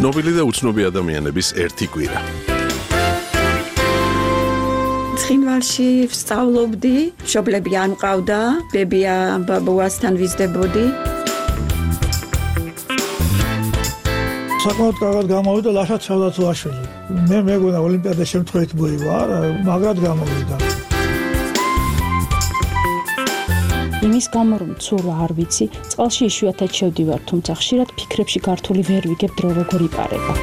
Speaker 1: ცნობილი და უცნობი ადამიანების ერთი კვირა.
Speaker 20: ცხინვალში ვსწავლობდი, მშობლები არ მყავდა, ბებია ბაბუასთან ვიზრდებოდი.
Speaker 21: საკმაოდ კარგად გამოვიდა ლაშა ჩავდაცვაშვილი. მე მეგონა ოლიმპიადა შემთხვევით მოივა, მაგრად გამოვიდა.
Speaker 22: იმის გამო რომ ცურვა არ ვიცი, წყალში იშვიათად შევდივარ, თუმცა ხშირად ფიქრებში გართული ვერ ვიგებ დრო როგორ იპარება.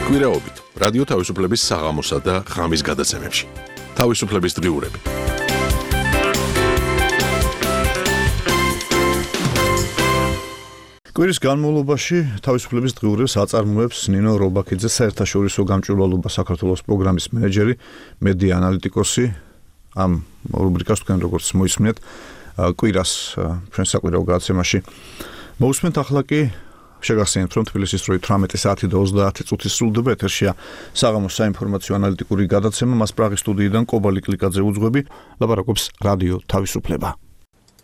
Speaker 1: კვირაობით რადიო თავისუფლების საღამოსა და ღამის გადაცემებში. თავისუფლების დღიურები.
Speaker 2: კვირის განმავლობაში თავისუფლების დღიურებს აწარმოებს ნინო რობაქიძე, საერთაშორისო გამჭვირვალობა საქართველოს პროგრამის მენეჯერი, მედია ანალიტიკოსი. ამ რუბრიკას თქვენ როგორც მოისმენთ, კვირას ჩვენ საკვირაო გადაცემაში მოусმენთ. ახლა კი შეგახსენებთ, რომ თბილისის დროით 18 საათი და 30 წუთი სრულდება ეთერშია საღამოს საინფორმაციო ანალიტიკური გადაცემა. მას პრაღის სტუდიიდან კობალი კლიკაძე უძღვები, ლაპარაკობს რადიო თავისუფლება.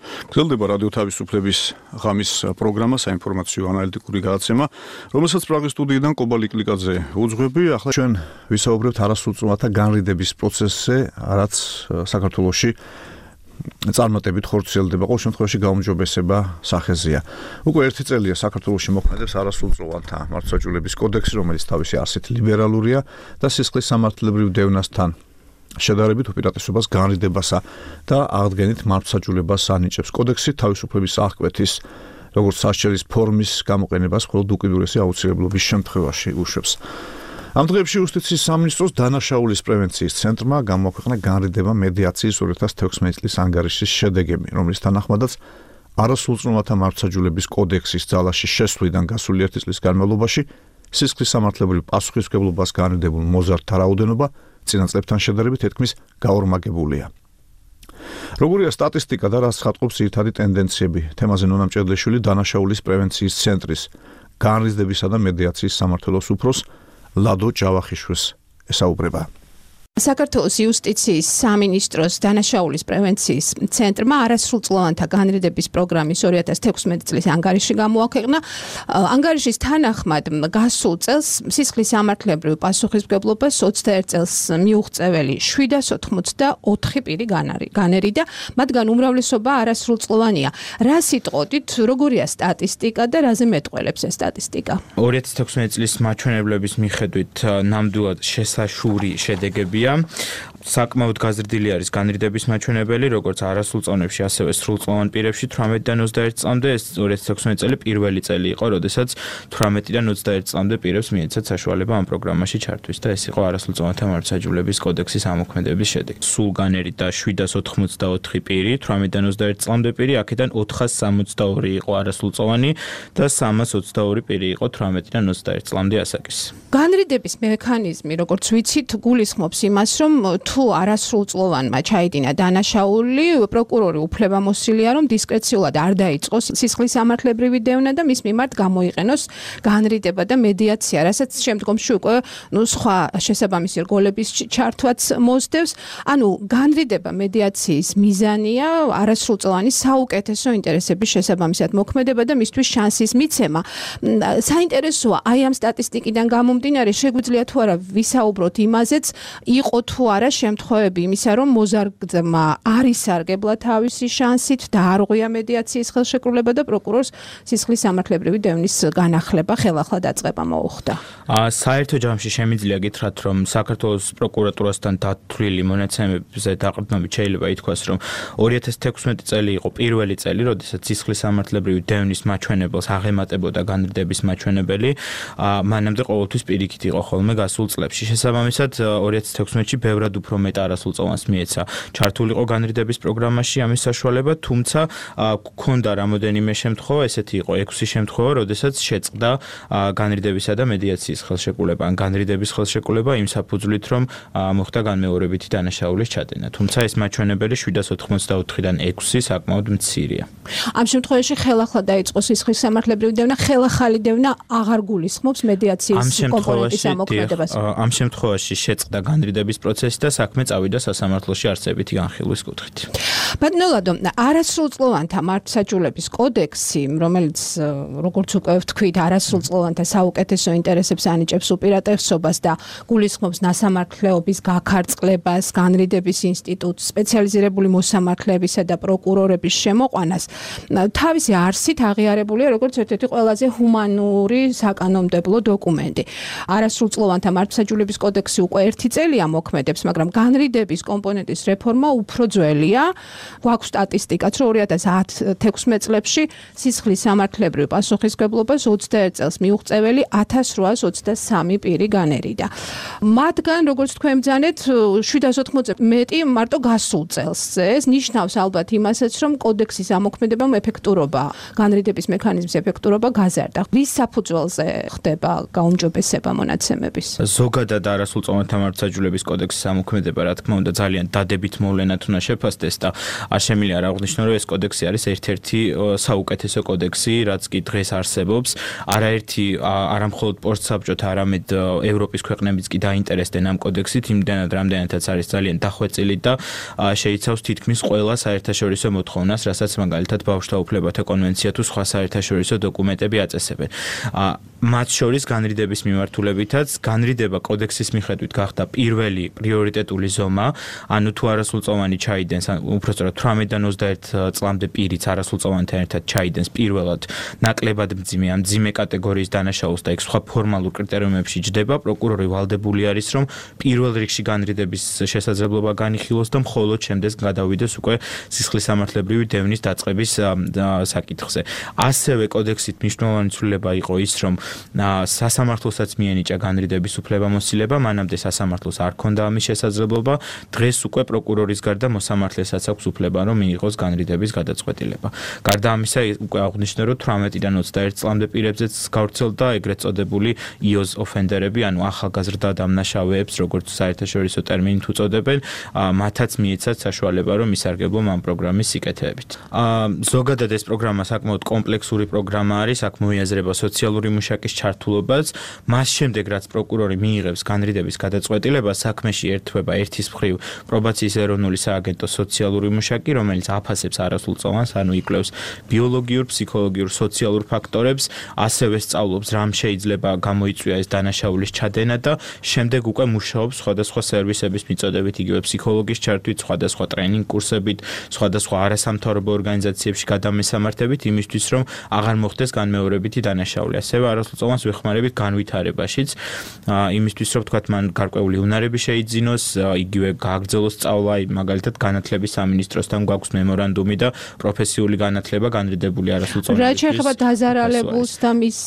Speaker 2: გრძელდება რადიო თავისუფლების ღამის პროგრამა, საინფორმაციო ანალიტიკური გადაცემა, რომელსაც პრაღის სტუდიიდან კობალი კლიკაძე უძღვები. ახლა ჩვენ ვისაუბრებთ არასრულწლოვანთა განრიდების პროცესზე, რაც საქართველოში წარმატებით ხორციელდება, ყოველ შემთხვევაში გაუმჯობესება სახეზეა. უკვე ერთი წელია საქართველოში მოქმედებს არასრულწლოვანთა მართლმსაჯულების კოდექსი, რომელიც თავისი არსით ლიბერალურია და სისხლის სამართლებრივ დევნასთან შედარებით უპირატესობას განრიდებასა და აღდგენით მართლმსაჯულებას ანიჭებს. კოდექსი თავისუფლების აღკვეთის როგორც სასჯელის ფორმის გამოყენებას მხოლოდ უკიდურესი აუცილებლობის შემთხვევაში უშვებს. ამ დღეებში იუსტიციის სამინისტროს დანაშაულის პრევენციის ცენტრმა გამოაქვეყნა განრიდება მედიაციის 2016 წლის ანგარიშის შედეგები, რომლის თანახმადაც არასრულწლოვანთა მართლმსაჯულების კოდექსის ძალაში შესვლიდან გასული 1 წლის განმავლობაში სისხლის სამართლებრივ პასუხისმგებლობას განრიდებულ მოზარდთა რაოდენობა წინა წლებთან შედარებით თითქმის გაორმაგებულია. როგორია სტატისტიკა და რას ხატყობს ძირითადი ტენდენციები? თემაზე ნონა მჭედლიშვილი დანაშაულის პრევენციის ცენტრის განრისდებისა და მედიაციის სამმართველოს უფროს ლადო ჯავახიშვილს ესაუბრება.
Speaker 23: საქართველოს იუსტიციის სამინისტროს დანაშაულის პრევენციის ცენტრმა არასრულწლოვანთა განრიდების პროგრამის 2016 წლის ანგარიში გამოაქვეყნა. ანგარიშის თანახმად გასულ წელს სისხლის სამართლებრივ პასუხისმგებლობას 21 წელს მიუღწეველი 784 პირი განერიდა, მათგან უმრავლესობა არასრულწლოვანია. რა სიტყვით, როგორია სტატისტიკა და რაზე მეტყველებს ეს სტატისტიკა?
Speaker 24: 2016 წლის მაჩვენებლების მიხედვით ნამდვილად შესაშური შედეგები
Speaker 3: მცირეა. საკმაოდ გაზრდილი არის განრიდების მაჩვენებელი, როგორც არასრულ წონებში, ასევე სრულწლოვან პირებში 18-დან 21 წლამდე, ეს 2016 წელი პირველი წელი იყო, როდესაც 18-დან 21 წლამდე პირებს მიეცათ საშუალება ამ პროგრამაში ჩართვის და ეს იყო არასრულწლოვანთა მართლმსაჯულების კოდექსის ამოქმედების შედეგი. სულ განერით და 784 პირი, 18-დან 21 წლამდე პირი, აქედან 462 იყო არასრულწლოვანი და 322 პირი იყო 18-დან 21 წლამდე ასაკის.
Speaker 23: განრიდების მექანიზმი, როგორც ვიცით, გულისხმობს იმას, რომ თუ არასრულწლოვანმა ჩაიდინა დანაშაული, პროკურორი უფლებამოსილია, რომ დისკრეციულად არ დაიწყოს სისხლის სამართლებრივი დევნა და მის მიმართ გამოიყენოს განრიდება და მედიაცია, რასაც შემდგომში უკვე სხვა შესაბამისი რგოლების ჩართვაც მოსდევს. ანუ განრიდება მედიაციის მიზანია არასრულწლოვანის საუკეთესო ინტერესების შესაბამისად მოქმედება და მისთვის შანსის მიცემა. საინტერესოა, აი ამ სტატისტიკიდან გამომდინარე, შეგვიძლია თუ არა ვისაუბროთ იმაზეც, იყო თუ არა შემთხვევები იმისა, რომ მოზარგმა არ ისარგებლა თავისი შანსით და არ უღია მედიაციის ხელშეკრულება და პროკურორს სისხლის სამართლებრივი დევნის განახლება ხელახლა დაწყება მოუხდა.
Speaker 3: საერთო ჯამში შემიძლია გითხრათ, რომ საქართველოს პროკურატურასთან დათვლილი მონაცემებზე დაყრდნობით შეიძლება ითქვას, რომ 2016 წელი იყო პირველი წელი, როდესაც სისხლის სამართლებრივი დევნის მაჩვენებელს აღემატებოდა განრიდების მაჩვენებელი, მანამდე ყოველთვის პირიქით იყო ხოლმე გასულ წლებში. შესაბამისად, 2016-ში ბევრად უფრო მეტ არასრულწლოვანს მიეცა ჩართულიყო განრიდების პროგრამაში ამის საშუალება, თუმცა გქონდა რამოდენიმე შემთხვევა, ესეთი იყო 6 შემთხვევა, როდესაც შეწყდა განრიდებისა და მედიაციის ხელშეკრულება, ან განრიდების ხელშეკრულება იმ საფუძვლით, რომ მოხდა განმეორებითი დანაშაულის ჩადენა. თუმცა ეს მაჩვენებელი 784-დან 6 საკმაოდ მცირეა.
Speaker 23: ამ შემთხვევაში ხელახლა დაიწყო სისხლის სამართლებრივი დევნა, ხელახალი დევნა აღარ გულისხმობს მედიაციის კომპონენტის ამოქმედებას.
Speaker 3: ამ შემთხვევაში შეწყდა განრიდების პროცესი და საქმე წავიდა სასამართლოში არსებითი განხილვის კუთხით.
Speaker 23: ბატონო ლადო, არასრულწლოვანთა მართლმსაჯულების კოდექსი, რომელიც როგორც უკვე ვთქვით, არასრულწლოვანთა საუკეთესო ინტერესებს ანიჭებს უპირატესობას და გულისხმობს ნასამართლეობის გაქარწყლებას, განრიდების ინსტიტუტს, სპეციალიზირებული მოსამართლეებისა და პროკურორების შემოყვანას, თავისი არსით აღიარებულია როგორც ერთ-ერთი ყველაზე ჰუმანური საკანონმდებლო დოკუმენტი. არასრულწლოვანთა მართლმსაჯულების კოდექსი უკვე 1 წელია მოქმედებს, მაგრამ განრიდების კომპონენტის რეფორმა უფრო ძველია. გვაქვს სტატისტიკაც, რომ 2016 წლებში სისხლის სამართლებრივ პასუხისმგებლობას 21 წელს მიუღწეველი 1823 პირი განერიდა. მათგან, როგორც თქვენ ბრძანეთ, 780-ზე მეტი მარტო გასულ წელს. ეს ნიშნავს ალბათ იმასაც, რომ კოდექსის ამოქმედებამ ეფექტურობა, განრიდების მექანიზმის ეფექტურობა გაზარდა. ვის საფუძველზე ხდება გაუმჯობესება მონაცემების?
Speaker 3: ზოგადად არასრულწლოვანთა მართლმსაჯულების კოდექსის ამოქმედება, რა თქმა უნდა, ძალიან დადებით მოვლენად უნდა შეფასდეს და არ შემიძლია არ აღვნიშნო, რომ ეს კოდექსი არის ერთ-ერთი საუკეთესო კოდექსი, რაც კი დღეს არსებობს. არაერთი არა მხოლოდ პორტსაბჭოთა, არამედ ევროპის ქვეყნებიც კი დაინტერესდნენ ამ კოდექსით, იმდენად რამდენადაც არის ძალიან დახვეწილი და შეიცავს თითქმის ყველა საერთაშორისო მოთხოვნას, რასაც მაგალითად ბავშვთა უფლებათა კონვენცია თუ სხვა საერთაშორისო დოკუმენტები აწესებენ. მათ შორის განრიდების მიმართულებითაც განრიდება კოდექსის მიხედვით გახდა პირველი პრიორიტეტული ზომა, ანუ თუ არასრულწლოვანი ჩაიდენს, უпростоრად 18-დან 21 წლამდე პირიც არასრულწლოვანთან ერთად ჩაიდენს პირველად ნაკლებად მძიმე ან მძიმე კატეგორიის დანაშაულს და იქ სხვა ფორმალურ კრიტერიუმებში ჯდება, პროკურორი ვალდებული არის, რომ პირველ რიგში განრიდების შესაძლებლობა განიხილოს და მხოლოდ შემდეგ გადავიდეს უკვე სისხლის სამართლებრივი დევნის დაწყების საკითხზე. ასევე კოდექსით მნიშვნელოვანი ცვლილება იყო ის, რომ სასამართლოსაც მიენიჭა განრიდების უფლებამოსილება, მანამდე სასამართლოს არ ჰქონდა ამის შესაძლებლობა, დღეს უკვე პროკურორის გარდა მოსამართლესაც აქვს უფლება, რომ მიიღოს განრიდების გადაწყვეტილება. გარდა ამისა, უკვე აღვნიშნე, რომ 18-დან 21 წლამდე პირებზეც გავრცელდა ეგრეთ წოდებული იოზ ოფენდერები, ანუ ახალგაზრდა დამნაშავეებს, როგორც საერთაშორისო ტერმინით უწოდებენ, მათაც მიეცათ საშუალება, რომ ისარგებლონ ამ პროგრამის სიკეთეებით. ზოგადად ეს პროგრამა საკმაოდ კომპლექსური პროგრამა არის, აქ მოიაზრება სოციალური მუშაკის ჩართულობაც, მას შემდეგ რაც პროკურორი მიიღებს განრიდების გადაწყვეტილებას, საქმეში ერთვება ერთის მხრივ პრობაციის ეროვნული სააგენტო სოციალური მუშაკი, რომელიც აფასებს არასრულწლოვანს, ანუ იკვლევს ბიოლოგიურ, ფსიქოლოგიურ, სოციალურ ფაქტორებს, ასევე სწავლობს, რამ შეიძლება გამოიწვია ეს დანაშაულის ჩადენა და შემდეგ უკვე მუშაობს სხვადასხვა სერვისების მიწოდებით, იგივე ფსიქოლოგის ჩართვით, სხვადასხვა ტრენინგ კურსებით, სხვადასხვა არასამთავრობო ორგანიზაციებში გადამესამართებით იმისთვის, რომ აღარ მოხდეს განმეორებითი დანაშაული. ასევე არასრულწლოვანს ვეხმარებით განვითარებაშიც. იმისთვის რომ თქვათ მან გარკვეული უნარები შეიძინოს, იგივე გააგრძელოს სწავლა, მაგალითად განათლების სამინისტროსთან გვაქვს მემორანდუმი და პროფესიული განათლება განრიდებული არასრულწლოვანებისთვის.
Speaker 23: რა შეეხება დაზარალებულს და მის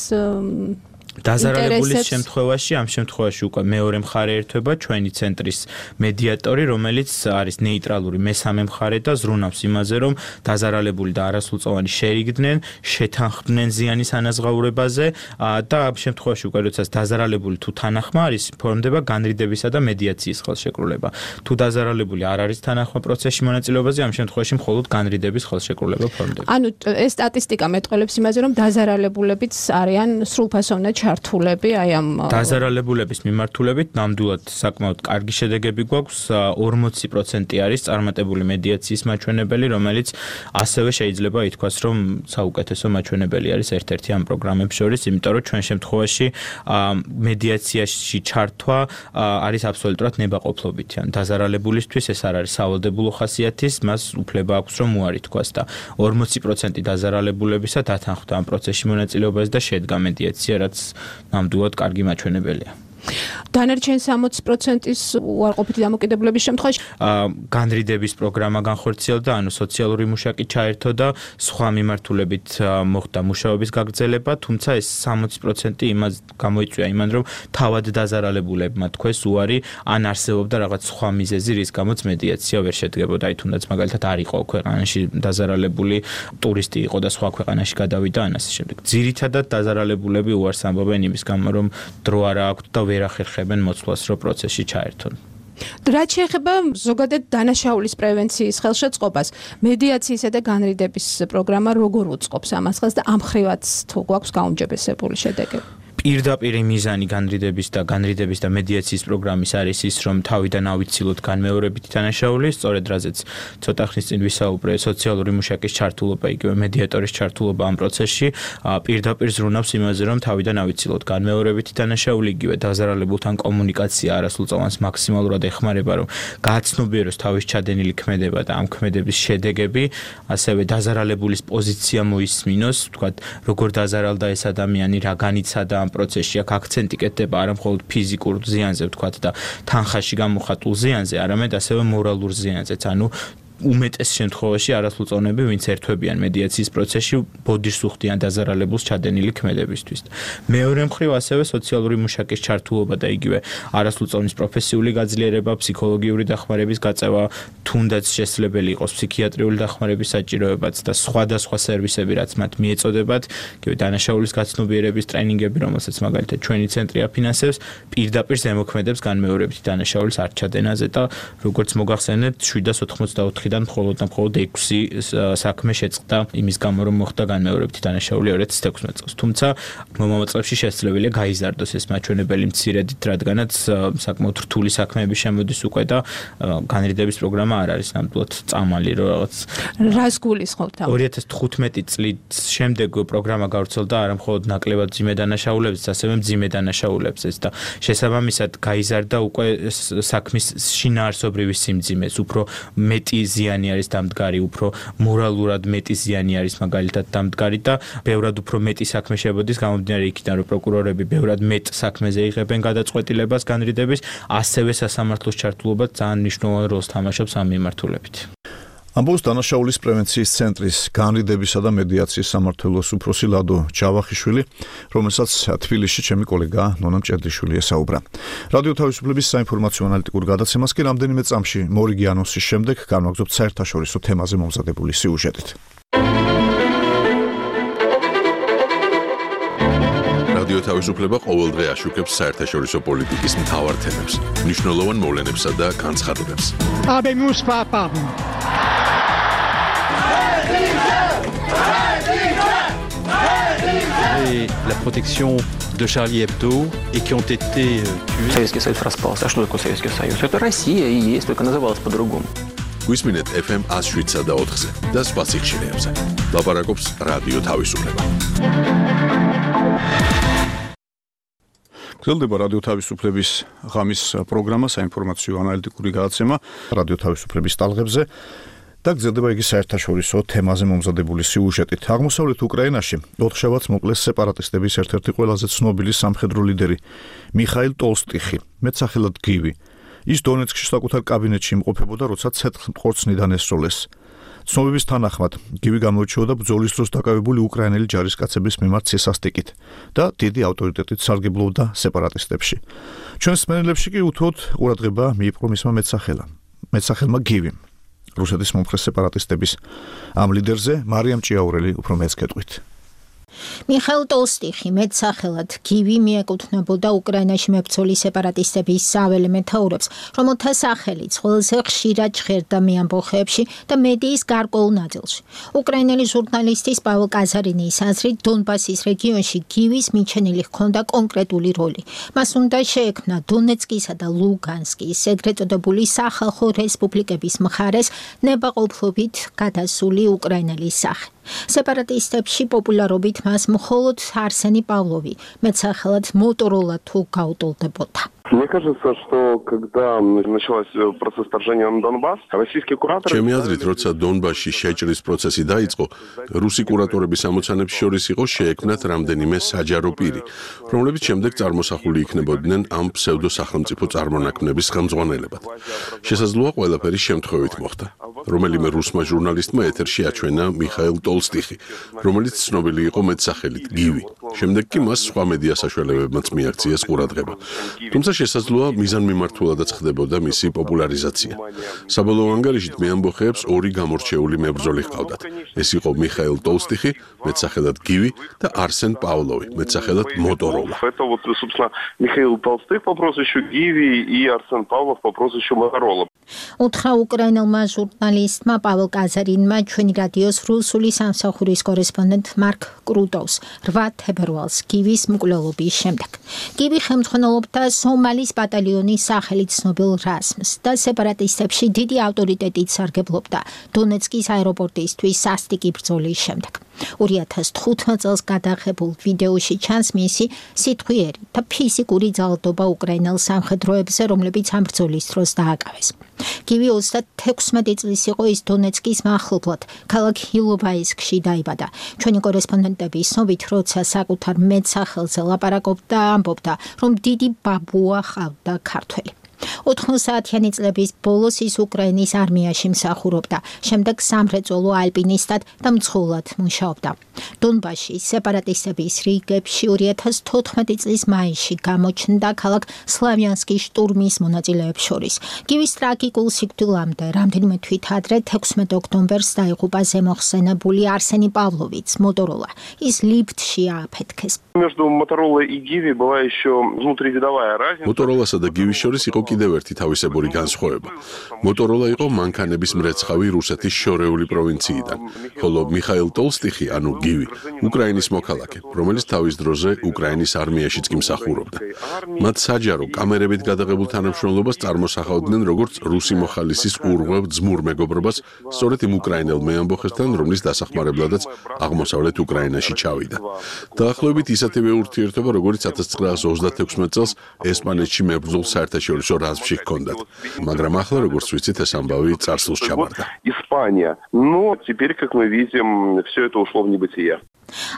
Speaker 3: დაზარალებულის შემთხვევაში, ამ შემთხვევაში უკვე მეორე მხარე ერთვება ჩვენი ცენტრის მედიატორი, რომელიც არის ნეიტრალური მესამე მხარე და ზრუნავს იმაზე, რომ დაზარალებული და არასრულწლოვანი შეიგდნენ, შეთანხმდნენ ზიანის ანაზღაურებაზე და ამ შემთხვევაში უკვე როდესაც დაზარალებული თუ თანახმა არის, ფორმდება განრიდებისა და მედიაციის ხელშეკრულება. თუ დაზარალებული არ არის თანახმა პროცესში მონაწილეობაზე, ამ შემთხვევაში მხოლოდ განრიდების ხელშეკრულება ფორმდება.
Speaker 23: ანუ ეს სტატისტიკა მეტყველებს იმაზე, რომ დაზარალებულებიც არიან სრულფასოვნად ჩართულები აი ამ
Speaker 3: დაზარალებულების მიმართულებით ნამდვილად საკმაოდ კარგი შედეგები გვაქვს 40% არის წარმატებული მედიაციის მაჩვენებელი, რომელიც ასევე შეიძლება ითქვას, რომ საუკეთესო მაჩვენებელი არის ერთ-ერთი ამ პროგრამებს შორის, იმიტომ რომ ჩვენ შემთხვევაში მედიაციაში ჩართვა არის აბსოლუტურად ნებაყოფლობითი. ან დაზარალებულისთვის ეს არ არის სავალდებულო ხასიათის, მას უფლება აქვს რომ უარი თქვას და 40% დაზარალებულებისა დათანხმდა ამ პროცესში მონაწილეობას და შედგა მედიაცია, რაც ნამდვილად კარგი მაჩვენებელია.
Speaker 23: დანარჩენ 60%-ის უარყოფითი დამოკიდებულების შემთხვევაში
Speaker 3: განრიდების პროგრამა განხორციელდა, ანუ სოციალური მუშაკი ჩაერთო და სხვა მიმართულებით მოხდა მუშაობის გაგრძელება, თუმცა ეს 60% იმას გამოიწვია იმან, რომ თავად დაზარალებულებმა თქვეს უარი, ან არსებობდა რაღაც სხვა მიზეზი, რის გამოც მედიაცია ვერ შედგებოდა, აი თუნდაც მაგალითად არ იყო ქვეყანაში დაზარალებული, ტურისტი იყო და სხვა ქვეყანაში გადავიდა, ან ასე შემდეგ. ძირითადად დაზარალებულები უარს ამბობენ იმის გამო, რომ დრო არ აქვთ და ვერ ახერხებენ მოცვლას, რომ პროცესში ჩაერთონ.
Speaker 23: რაც შეეხება ზოგადად დანაშაულის პრევენციის ხელშეწყობას, მედიაციისა და განრიდების პროგრამა როგორ უწყობს ამას ხელს და ამ ხრივაც თუ გვაქვს გაუმჯობესებული შედეგები?
Speaker 3: პირდაპირ მიზანი განრიდების და მედიაციის პროგრამის არის ის, რომ თავიდან ავიცილოთ განმეორებითი დანაშაული, სწორედ რაზეც ცოტა ხნის წინ ვისაუბრე, სოციალური მუშაკის ჩართულობა, იგივე მედიატორის ჩართულობა ამ პროცესში პირდაპირ ზრუნავს იმაზე, რომ თავიდან ავიცილოთ განმეორებითი დანაშაული, იგივე დაზარალებულთან კომუნიკაცია არასრულწლოვანს მაქსიმალურად ეხმარება, რომ გააცნობიეროს თავის ჩადენილი ქმედება და ამ ქმედების შედეგები, ასევე დაზარალებულის პოზიცია მოისმინოს, თქვათ, როგორ დაზარალდა ეს ადამიანი, რა განიცადა ამ პროცესში, აქ აქცენტი კეთდება არა მხოლოდ ფიზიკურ ზიანზე, ვთქვათ და თანხაში გამოხატულ ზიანზე, არამედ ასევე მორალურ ზიანზეც, ანუ უმეტეს შემთხვევაში არასრულწლოვნები, ვინც ერთვებიან მედიაციის პროცესში, ბოდიშს უხდიან დაზარალებულს ჩადენილი ქმედებისთვის. მეორე მხრივ ასევე სოციალური მუშაკის ჩართულობა და იგივე არასრულწლოვნის პროფესიული გაძლიერება, ფსიქოლოგიური დახმარების გაწევა, თუნდაც შესაძლებელი იყოს ფსიქიატრიული დახმარების საჭიროებაც და სხვადასხვა სერვისები, რაც მათ მიეწოდებათ, იგივე დანაშაულის გაცნობიერების ტრენინგები, რომელსაც მაგალითად ჩვენი ცენტრი აფინანსებს, პირდაპირ ზემოქმედებს განმეორებითი დანაშაულის არ ჩადენაზე და როგორც მოგახსენეთ 784 დან მხოლოდ 6 საქმე შეწყდა იმის გამო, რომ მოხდა განმეორებითი დანაშაული 2016 წელს. თუმცა მომავალ წლებში შესაძლებელია გაიზარდოს ეს მაჩვენებელი მცირედით, რადგანაც საკმაოდ რთული საქმეები შემოდის უკვე და განრიდების პროგრამა არ არის ნამდვილად წამალი, რომ რაღაც
Speaker 23: რას გულისხმობთ?
Speaker 3: 2015 წლის შემდეგ პროგრამა გავრცელდა არა მხოლოდ ნაკლებად მძიმე დანაშაულებზეც, ასევე მძიმე დანაშაულებზეც და შესაბამისად გაიზარდა უკვე საქმის შინაარსობრივი სიმძიმეს, უფრო მეტი ზიანი არის დამდგარი, უფრო მორალურად მეტი ზიანი არის მაგალითად დამდგარი და ბევრად უფრო მეტი საქმე შემოდის გამომდინარე იქიდან, რომ პროკურორები ბევრად მეტ საქმეზე იღებენ გადაწყვეტილებას განრიდების, ასევე სასამართლოს ჩართულობა ძალიან მნიშვნელოვან როლს თამაშობს ამ მიმართულებით.
Speaker 2: ამბობს დანაშაულის პრევენციის ცენტრის განრიდებისა და მედიაციის სამმართველოს უფროსი ლადო ჯავახიშვილი, რომელსაც თბილისში ჩემი კოლეგა ნონა მჭედლიშვილი ესაუბრა. რადიო თავისუფლების საინფორმაციო ანალიტიკურ გადაცემას კი რამდენიმე წამში მორიგი ანონსის შემდეგ განვაგრძობთ საერთაშორისო თემაზე მომზადებული სიუჟეტით.
Speaker 1: რადიო თავისუფლება ყოველდღე აშუქებს საერთაშორისო პოლიტიკის მთავარ თემებს, მნიშვნელოვან მოვლენებსა და განცხადებებს.
Speaker 7: La protection de Charlie Hebdo et qui ont été tués.
Speaker 9: Советский Союз распался. А что такое Советский Союз? Это Россия и есть, только называлась по-другому.
Speaker 1: Გვისმინეთ FM 107 და 4-ზე და სხვა სიხშირეებზე. ლაპარაკობს რადიო თავისუფლება.
Speaker 2: გრძელდება რადიო თავისუფლების ღამის პროგრამა, საინფორმაციო ანალიტიკური გადაცემა რადიო თავისუფლების ტალღებზე. და გრძელდება იგი საერთაშორისო თემაზე მომზადებული სიუჟეტით. აღმოსავლეთ უკრაინაში 4 შაბათს მოკლეს სეპარატისტების ერთ-ერთი ყველაზე ცნობილი სამხედრო ლიდერი მიხაილ ტოლსტიხი, მეტსახელად გივი. ის დონეცკში საკუთარ კაბინეტში იმყოფებოდა, როცა ცეცხლმყორცნიდან ესროლეს. ცნობების თანახმად, გივი გამოირჩეოდა ბრძოლის დროს დაკავებული უკრაინელი ჯარისკაცების მიმართ სისასტიკით და დიდი ავტორიტეტით სარგებლობდა სეპარატისტებში. ჩვენს სმენელებში კი უთუოდ ყურადღება მიიპყრო მისმა მეტსახელმა გივიმ. რუსეთის მომხრე სეპარატისტების ამ ლიდერზე მარიამ ჭიაურელი უფრო მეც გეტყვით.
Speaker 4: მიხაილ ტოლსტიხი მეტსახელად გივი მიეკუთვნებოდა უკრაინაში მებრძოლი სეპარატისტების საველე მეთაურებს, რომელთა სახელიც ყველაზე ხშირად ჟღერდა მეამბოხეებში და მედიის გარკვეულ ნაწილში. უკრაინელი ჟურნალისტის პაველ კაზარინის აზრით, დონბასის რეგიონში გივის მიჩენილი ჰქონდა კონკრეტული როლი. მას უნდა შეექმნა დონეცკისა და ლუგანსკის ეგრეთ წოდებული სახალხო რესპუბლიკების მხარეს ნებაყოფლობით გადასული უკრაინელის სახე. სეპარატისტებში პოპულარობით მას მხოლოდ არსენი პავლოვი, მეტსახელად მოტოროლა თუ გაუტოლდებოდა.
Speaker 8: Мне кажется, что когда началась процесс вторжения на Донбасс, российские кураторы...
Speaker 1: ჩემი აზრით, როცა დონბასში შეჭრის პროცესი დაიწყო, რუსი კურატორების ამოცანებს შორის იყო შეექმნათ რამდენიმე საჯარო პირი, რომლებიც შემდეგ წარმოსახული იქნებოდნენ ამ ფსევდო-სახელმწიფო წარმონაქმნების ხელმძღვანელებად. შესაძლოა ყველაფერი შემთხვევით მოხდა. რომელიმე რუსმა ჟურნალისტმა ეთერში აჩვენა მიხაილ ტოლსტიხი, რომელიც ცნობილი იყო მეტსახელით გივი. შემდეგ კი მას სხვა მედია საშუალებებმაც მიაქციეს ყურადღება. თუმცა შესაძლოა მიზანმიმართულადაც ხდებოდა მისი პოპულარიზაცია. საბოლოო ანგარიშით მეამბოხეებს ორი გამორჩეული მებრძოლი ჰყავდათ. ეს იყო მიხაილ ტოლსტიხი, მეტსახელად გივი და არსენ პავლოვი, მეტსახელად მოტოროლა.
Speaker 8: Это вот, собственно, Михаил Толстых по прозвищу Гиви и Арсен Павлов по прозвищу Моторола.
Speaker 4: უთხრა უკრაინელმა ჟურნალისტმა პაველ კაზარინმა ჩვენი რადიოს რუსული სამსახურის კორესპონდენტ მარკ კრუტოვს 8 თებერვალს გივის მკვლელობის შემდეგ. გივი ხელმძღვანელობდა სომალის ბატალიონის სახელით ცნობილ რაზმს და სეპარატისტებში დიდი ავტორიტეტით სარგებლობდა დონეცკის აეროპორტისთვის სასტიკი ბრძოლის შემდეგ. 2015 წელს გადაღებულ ვიდეოში ჩანს მისი სიტყვიერი და ფიზიკური ძალადობა უკრაინელ სამხედროებზე, რომლებიც ამ ბრძოლის დროს დააკავეს. გივი 36 წლის იყო, ის დონეცკის მახლობლად, ქალაქ ჰილოვაისკში დაიბადა. ჩვენი კორესპონდენტების ცნობით, როცა საკუთარ მეტსახელზე ლაპარაკობდა, ამბობდა, რომ დიდი ბაბუა ჰყავდა ქართველი. 90-იანი წლების ბოლოს ის უკრაინის არმიაში მსახურობდა, შემდეგ სამრეწველო ალპინისტად და მძღოლად მუშაობდა. დონბასში სეპარატისტების რიგებში 2014 წლის მაისში გამოჩნდა ქალაქ სლავიანსკის შტურმის მონაწილეებს შორის. გივის ტრაგიკულ სიკვდილამდე რამდენიმე თვით ადრე 16 ოქტომბერს დაიღუპა ზემოხსენებული არსენი პავლოვიც, მოტოროლა. ის ლიფტში ააფეთქეს.
Speaker 8: Между Моторолой и Гиви была еще внутривидовая разница.
Speaker 1: მოტოროლასა და გივის შორის იყო კიდევ ერთი თავისებური განსხვავება. მოტოროლა იყო მანქანების მრეცხავი რუსეთის შორეული პროვინციიდან, ხოლო მიხაილ ტოლსტიხი, ანუ გივი, უკრაინის მოქალაქე, რომელიც თავის დროზე უკრაინის არმიაშიც კი მსახურობდა. მათ საჯარო კამერებით გადაღებულ თანამშრომლობას წარმოსახავდნენ როგორც რუსი მოხალისის ურღვევ ძმურ მეგობრობას, სწორედ იმ უკრაინელ მეამბოხესთან, რომლის დასახმარებლადაც აღმოსავლეთ უკრაინაში ჩავიდა. დაახლოებით ისეთივე ურთიერთობა, როგორც 1936 წელს ესპანეთში მებრძოლ საერთაშორისო რაზმში ჰქონდათ. მაგრამ ახლა, როგორც ვიცით, ეს ამბავი წარსულს ჩაბარდა.
Speaker 8: Испания. Но теперь, как мы видим, все это ушло в небытие.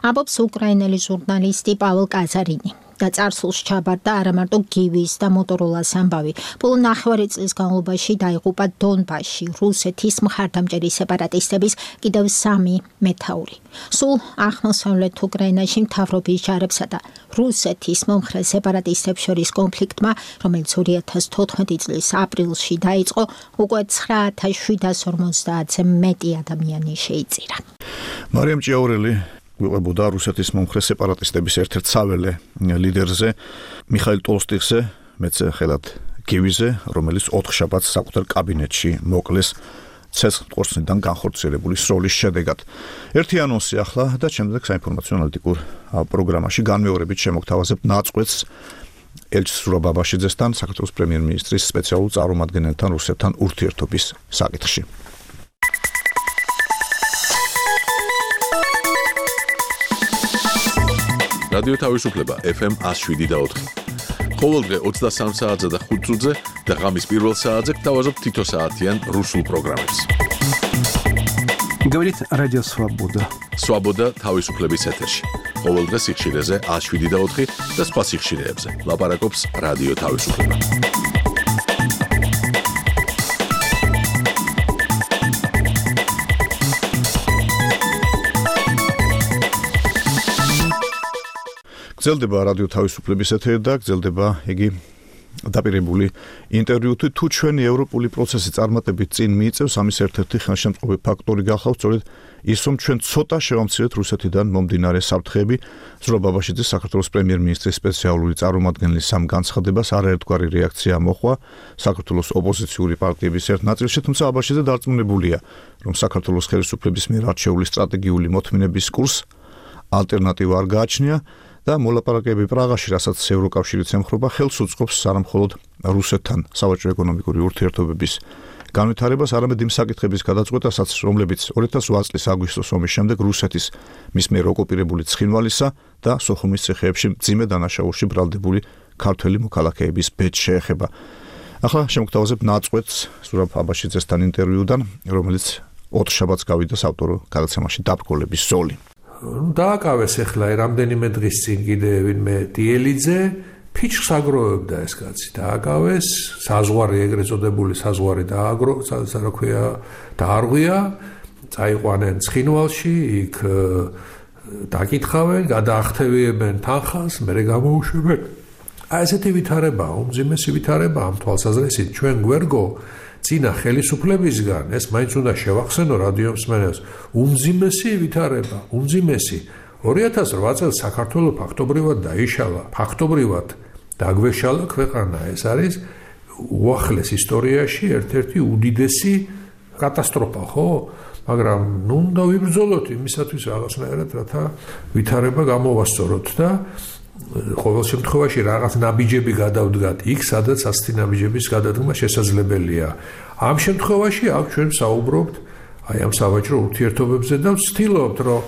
Speaker 4: ამბობს უკრაინელი ჟურნალისტი პაველ კაზარინი. და წარსულს ჩაბარდა არა მარტო გივის და მოტოროლას ამბავი. ბოლო 9 წლის განმავლობაში დაიღუპა დონბასში რუსეთის მხარდამჭერი სეპარატისტების კიდევ 3 მეთაური. სულ აღმოსავლეთ უკრაინაში მთავრობის ჯარებსა და რუსეთის მომხრე სეპარატისტებს შორის კონფლიქტმა, რომელიც 2014 წლის აპრილში დაიწყო, უკვე 9750-ზე მეტი ადამიანი შეიწირა.
Speaker 2: მარიამ ჭიაურელი გვიყვებოდა რუსეთის მომხრე სეპარატისტების ერთ-ერთ საველე ლიდერზე, მიხაილ ტოლსტიხზე, მეტსახელად გივიზე, რომელიც 4 შაბათს საკუთარ კაბინეტში მოკლეს ცეცხლმყორცნიდან განხორციელებული სროლის შედეგად. ერთი ანონსი ახლა და შემდეგ საინფორმაციო ანალიტიკურ პროგრამაში განმეორებით შემოგთავაზებთ ნაწყვეტს ელჩ სურა ბაბაშიძესთან, საქართველოს პრემიერ-მინისტრის სპეციალურ წარმომადგენელთან რუსეთთან ურთიერთობის საკითხში.
Speaker 1: რადიო თავისუფლება FM 107.4. ყოველდღე 23 საათზე და 5 წუთზე და ღამის პირველ საათზე გთავაზობთ თითო საათიან რუსულ პროგრამებს.
Speaker 10: Говорит Радио Свобода.
Speaker 1: Свобода თავისუფლების ეთერში. ყოველდღე სიხშირეზე 107.4 და სხვა სიხშირეებზე. ლაპარაკობს რადიო თავისუფლება.
Speaker 2: გრძელდება რადიო თავისუფლების ეთერი და გრძელდება იგი დაპირებული ინტერვიუ თუ ჩვენი ევროპული პროცესი წარმატებით წინ მიიწევს, ამის ერთ-ერთი ხელშემწყობი ფაქტორი გახავთ სწორედ ის, რომ ჩვენ ცოტა შევამცირეთ რუსეთიდან მომდინარე საფრთხეები. ზურაბ აბაშიძის საქართველოს პრემიერ-მინისტრის სპეციალური წარმომადგენლის ამ განცხადებას არაერთგვარი რეაქცია მოჰყვა საქართველოს ოპოზიციური პარტიების ერთ ნაწილში, თუმცა აბაშიძე დარწმუნებულია, რომ საქართველოს ხელისუფლების მიერ არჩეული სტრატეგიული მოთმინების კურსს ალტერნატივა არ გააჩნია და მოლაპარაკებები პრაღაში, რასაც ევროკავშირიც ემხრობა, ხელს უწყობს არამხოლოდ რუსეთთან სავაჭრო ეკონომიკური ურთიერთობების განვითარებას, არამედ იმ საკითხების გადაწყვეტასაც, რომლებიც 2008 წლის აგვისტოს ომის შემდეგ რუსეთის მის მიერ ოკუპირებული ცხინვალისა და სოხუმის ციხეებში მძიმე დანაშაულში ბრალდებული ქართველი მოქალაქეების ბედს შეეხება. ახლა შემოგთავაზებ ნაწყვეტს ზურაბ აბაშიძესთან ინტერვიუდან, რომელიც ოთხშაბათს გავიდა საავტორო გადაცემაში დაბრკოლების ზოლი.
Speaker 11: დააკავეს ახლა რამდენიმე დღის წინ კიდე ვინმე დიელიძე ფიჩხს აგროვებდა ეს კაცი დააკავეს საზღვარი ეგრეთ წოდებული საზღვარი დაარღვია წაიყვანენ ცხინვალში იქ დაკითხავენ გადაახტევიებენ თანხას მერე გამოუშვებენ აი ესეთი ვითარება უმძიმესი ვითარება ამ თვალსაზრისით ჩვენ გვერგო წინა ხელისუფლებისგან ეს მაინც უნდა შევახსენო რადიო მსმენელს უმძიმესი ვითარება უმძიმესი 2008 წელს საქართველოს ფაქტობრივად დაიშალა ფაქტობრივად დაგვეშალა ქვეყანა ეს არის უახლეს ისტორიაში ერთ-ერთი უდიდესი კატასტროფა ხო მაგრამ ნუ უნდა ვიბრძოლოთ იმისათვის რაღაცნაირად რათა ვითარება გამოვასწოროთ და ყოველ შემთხვევაში რაღაც ნაბიჯები გადავდგათ იქ სადაც ასეთი ნაბიჯების გადადგმა შესაძლებელია ამ შემთხვევაში აქ ჩვენ საუბრობთ აი ამ სავაჭრო ურთიერთობებზე და ვცდილობთ რომ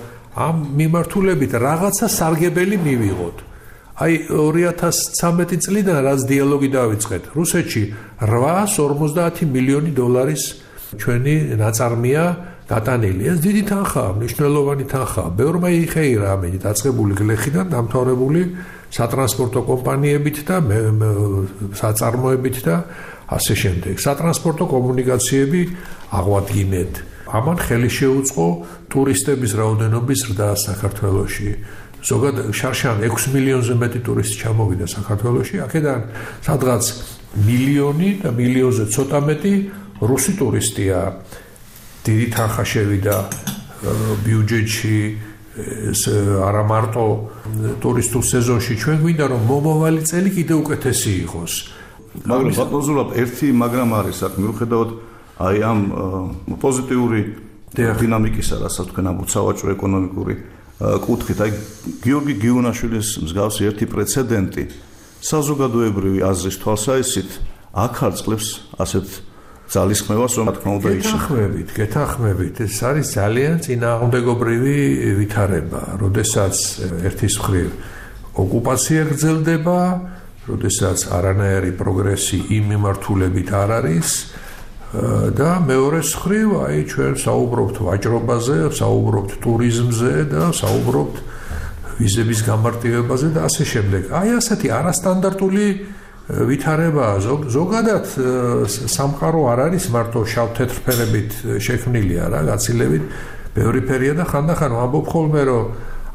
Speaker 11: ამ მიმართულებით რაღაცა სარგებელი მივიღოთ აი 2013 წლიდან რაც დიალოგი დავიწყეთ რუსეთში 850 მილიონი დოლარის ჩვენი ნაწარმია დატანილი ეს დიდი თანხაა მნიშვნელოვანი თანხაა ბევრმა იხეირა ამით დაწყებული გლეხიდან დამთავრებული სატრანსპორტო კომპანიებით და საწარმოებით და ასე შემდეგ სატრანსპორტო კომუნიკაციები აღვადგინეთ ამან ხელი შეუწყო ტურისტების რაოდენობის ზრდა საქართველოში ზოგადად შარშან 6 მილიონზე მეტი ტურისტი ჩამოვიდა საქართველოში აქედან სადღაც მილიონი და მილიონზე ცოტა მეტი რუსი ტურისტია დიდი თანხა შევიდა ბიუჯეტში არა მარტო ტურისტულ სეზონში ჩვენ გვინდა რომ მომავალი წელი კიდევ უკეთესი იყოს
Speaker 2: მაგრამ ბატონ ზურაბ ერთი მაგრამ არის აქ მიუხედავად აი ამ პოზიტიური დინამიკისა რასაც თქვენ ამბობთ სავაჭრო ეკონომიკური კუთხით აი გიორგი გიუნაშვილის მსგავსი ერთი პრეცედენტი საზოგადოებრივი აზრის თვალსაჩინით აქ არწყლებს ასეთ ძალისხმევას რომ თქმა უნდა გეთანხმებით ეს არის ძალიან წინააღმდეგობრივი ვითარება როდესაც ერთის მხრივ ოკუპაცია გრძელდება როდესაც არანაირი პროგრესი იმ მიმართულებით არ არის და მეორეს მხრივ აი ჩვენ საუბრობთ ვაჭრობაზე საუბრობთ ტურიზმზე და საუბრობთ ვიზების გამარტივებაზე და ასე შემდეგ აი ასეთი არასტანდარტული ვითარება ზოგადად სამყარო არ არის მარტო შავ-თეთრ ფერებით შექმნილი არა გაცილებით ბევრი ფერია და ხანდახან ვამბობ ხოლმე რომ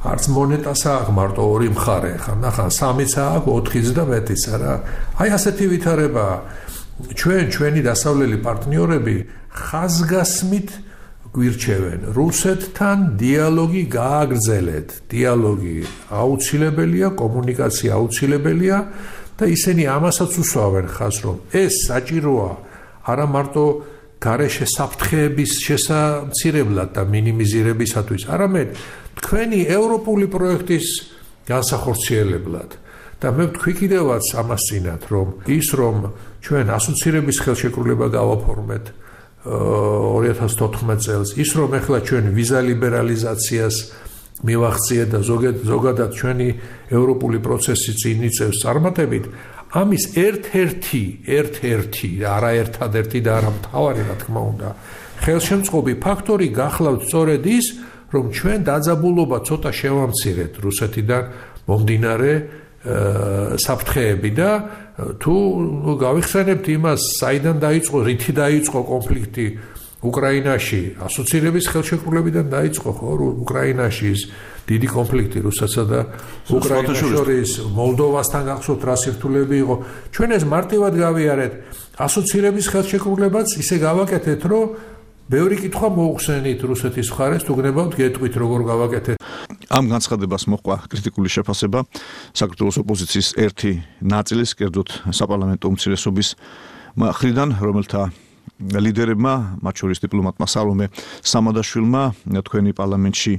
Speaker 2: არც მონეტას აქვს მარტო ორი მხარე ხანდახან სამიც აქვს 4-იც და მეტიც არა აი ასეთი ვითარება ჩვენი დასავლელი პარტნიორები ხაზგასმით გვირჩევენ რუსეთთან დიალოგი გააგრძელეთ დიალოგი აუცილებელია კომუნიკაცია აუცილებელია და ისინი ამასაც უსვავენ ხაზს რომ ეს საჭიროა არა მარტო გარეშე საფრთხეების შესამცირებლად და მინიმიზირებისათვის არამედ თქვენი ევროპული პროექტის განსახორციელებლად და მე ვთქვი კიდევაც ამას წინათ რომ ის რომ ჩვენ ასოცირების ხელშეკრულება გავაფორმეთ 2014 წელს ის რომ ეხლა ჩვენ ვიზა ლიბერალიზაციას მივახციეთ და ზოგადად ჩვენი ევროპული პროცესი წინ იწევს წარმატებით
Speaker 11: ამის ერთ-ერთი, არა ერთადერთი და არა მთავარი, რა თქმა უნდა, ხელშემწყობი ფაქტორი გახლავთ სწორედ ის, რომ ჩვენ დაძაბულობა ცოტა შევამცირეთ რუსეთიდან მომდინარე საფრთხეები და თუ გავიხსენებთ იმას, საიდან დაიწყო, რითი დაიწყო კონფლიქტი უკრაინაში, ასოცირების ხელშეკრულებიდან დაიწყო, ხო, უკრაინაში ის დიდი კონფლიქტი რუსეთსა და უკრაინას შორის, მოლდოვასთან გახსოვთ რა სირთულეები იყო. ჩვენ ეს მარტივად გავიარეთ, ასოცირების ხელშეკრულებაც ისე გავაკეთეთ, რომ ბევრი კითხვა მოუხსენით რუსეთის მხარეს, თუ გნებავთ გეტყვით როგორ გავაკეთეთ.
Speaker 2: ამ განცხადებას მოჰყვა კრიტიკული შეფასება საქართველოს ოპოზიციის ერთი ნაწილის, კერძოდ საპარლამენტო უმცირესობის მხრიდან, რომელთა ლიდერებმა, მათ შორის დიპლომატმა სალომე სამადაშვილმა თქვენი პარლამენტში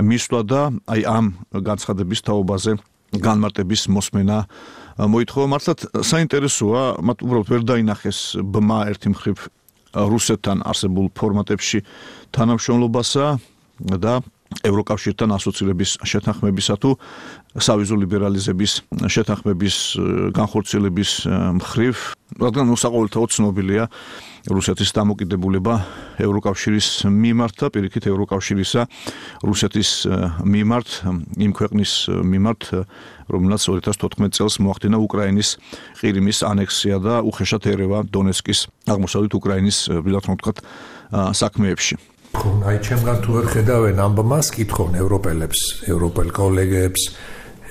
Speaker 2: მისვლა და აი ამ განცხადების თაობაზე განმარტების მოსმენა მოითხოვა. მართლაც საინტერესოა, მათ უბრალოდ ვერ დაინახეს ბმა ერთი მხრივ რუსეთთან არსებულ ფორმატებში თანამშრომლობასა და ევროკავშირთან ასოცირების შეთანხმებისა თუ სავიზო ლიბერალიზების შეთანხმების განხორციელების მხრივ, რადგან საყოველთაოდ ცნობილია რუსეთის დამოკიდებულება ევროკავშირის მიმართ და პირიქით ევროკავშირისა რუსეთის მიმართ, იმ ქვეყნის მიმართ, რომელსაც 2014 წელს მოახდინა უკრაინის ყირიმის ანექსია და უხეშად ერევა დონეცკის აღმოსავლეთ უკრაინის საქმეებში.
Speaker 11: აი ჩემგან თუ ვერ ხედავენ ამ ბმას, კითხონ ევროპელ კოლეგებს,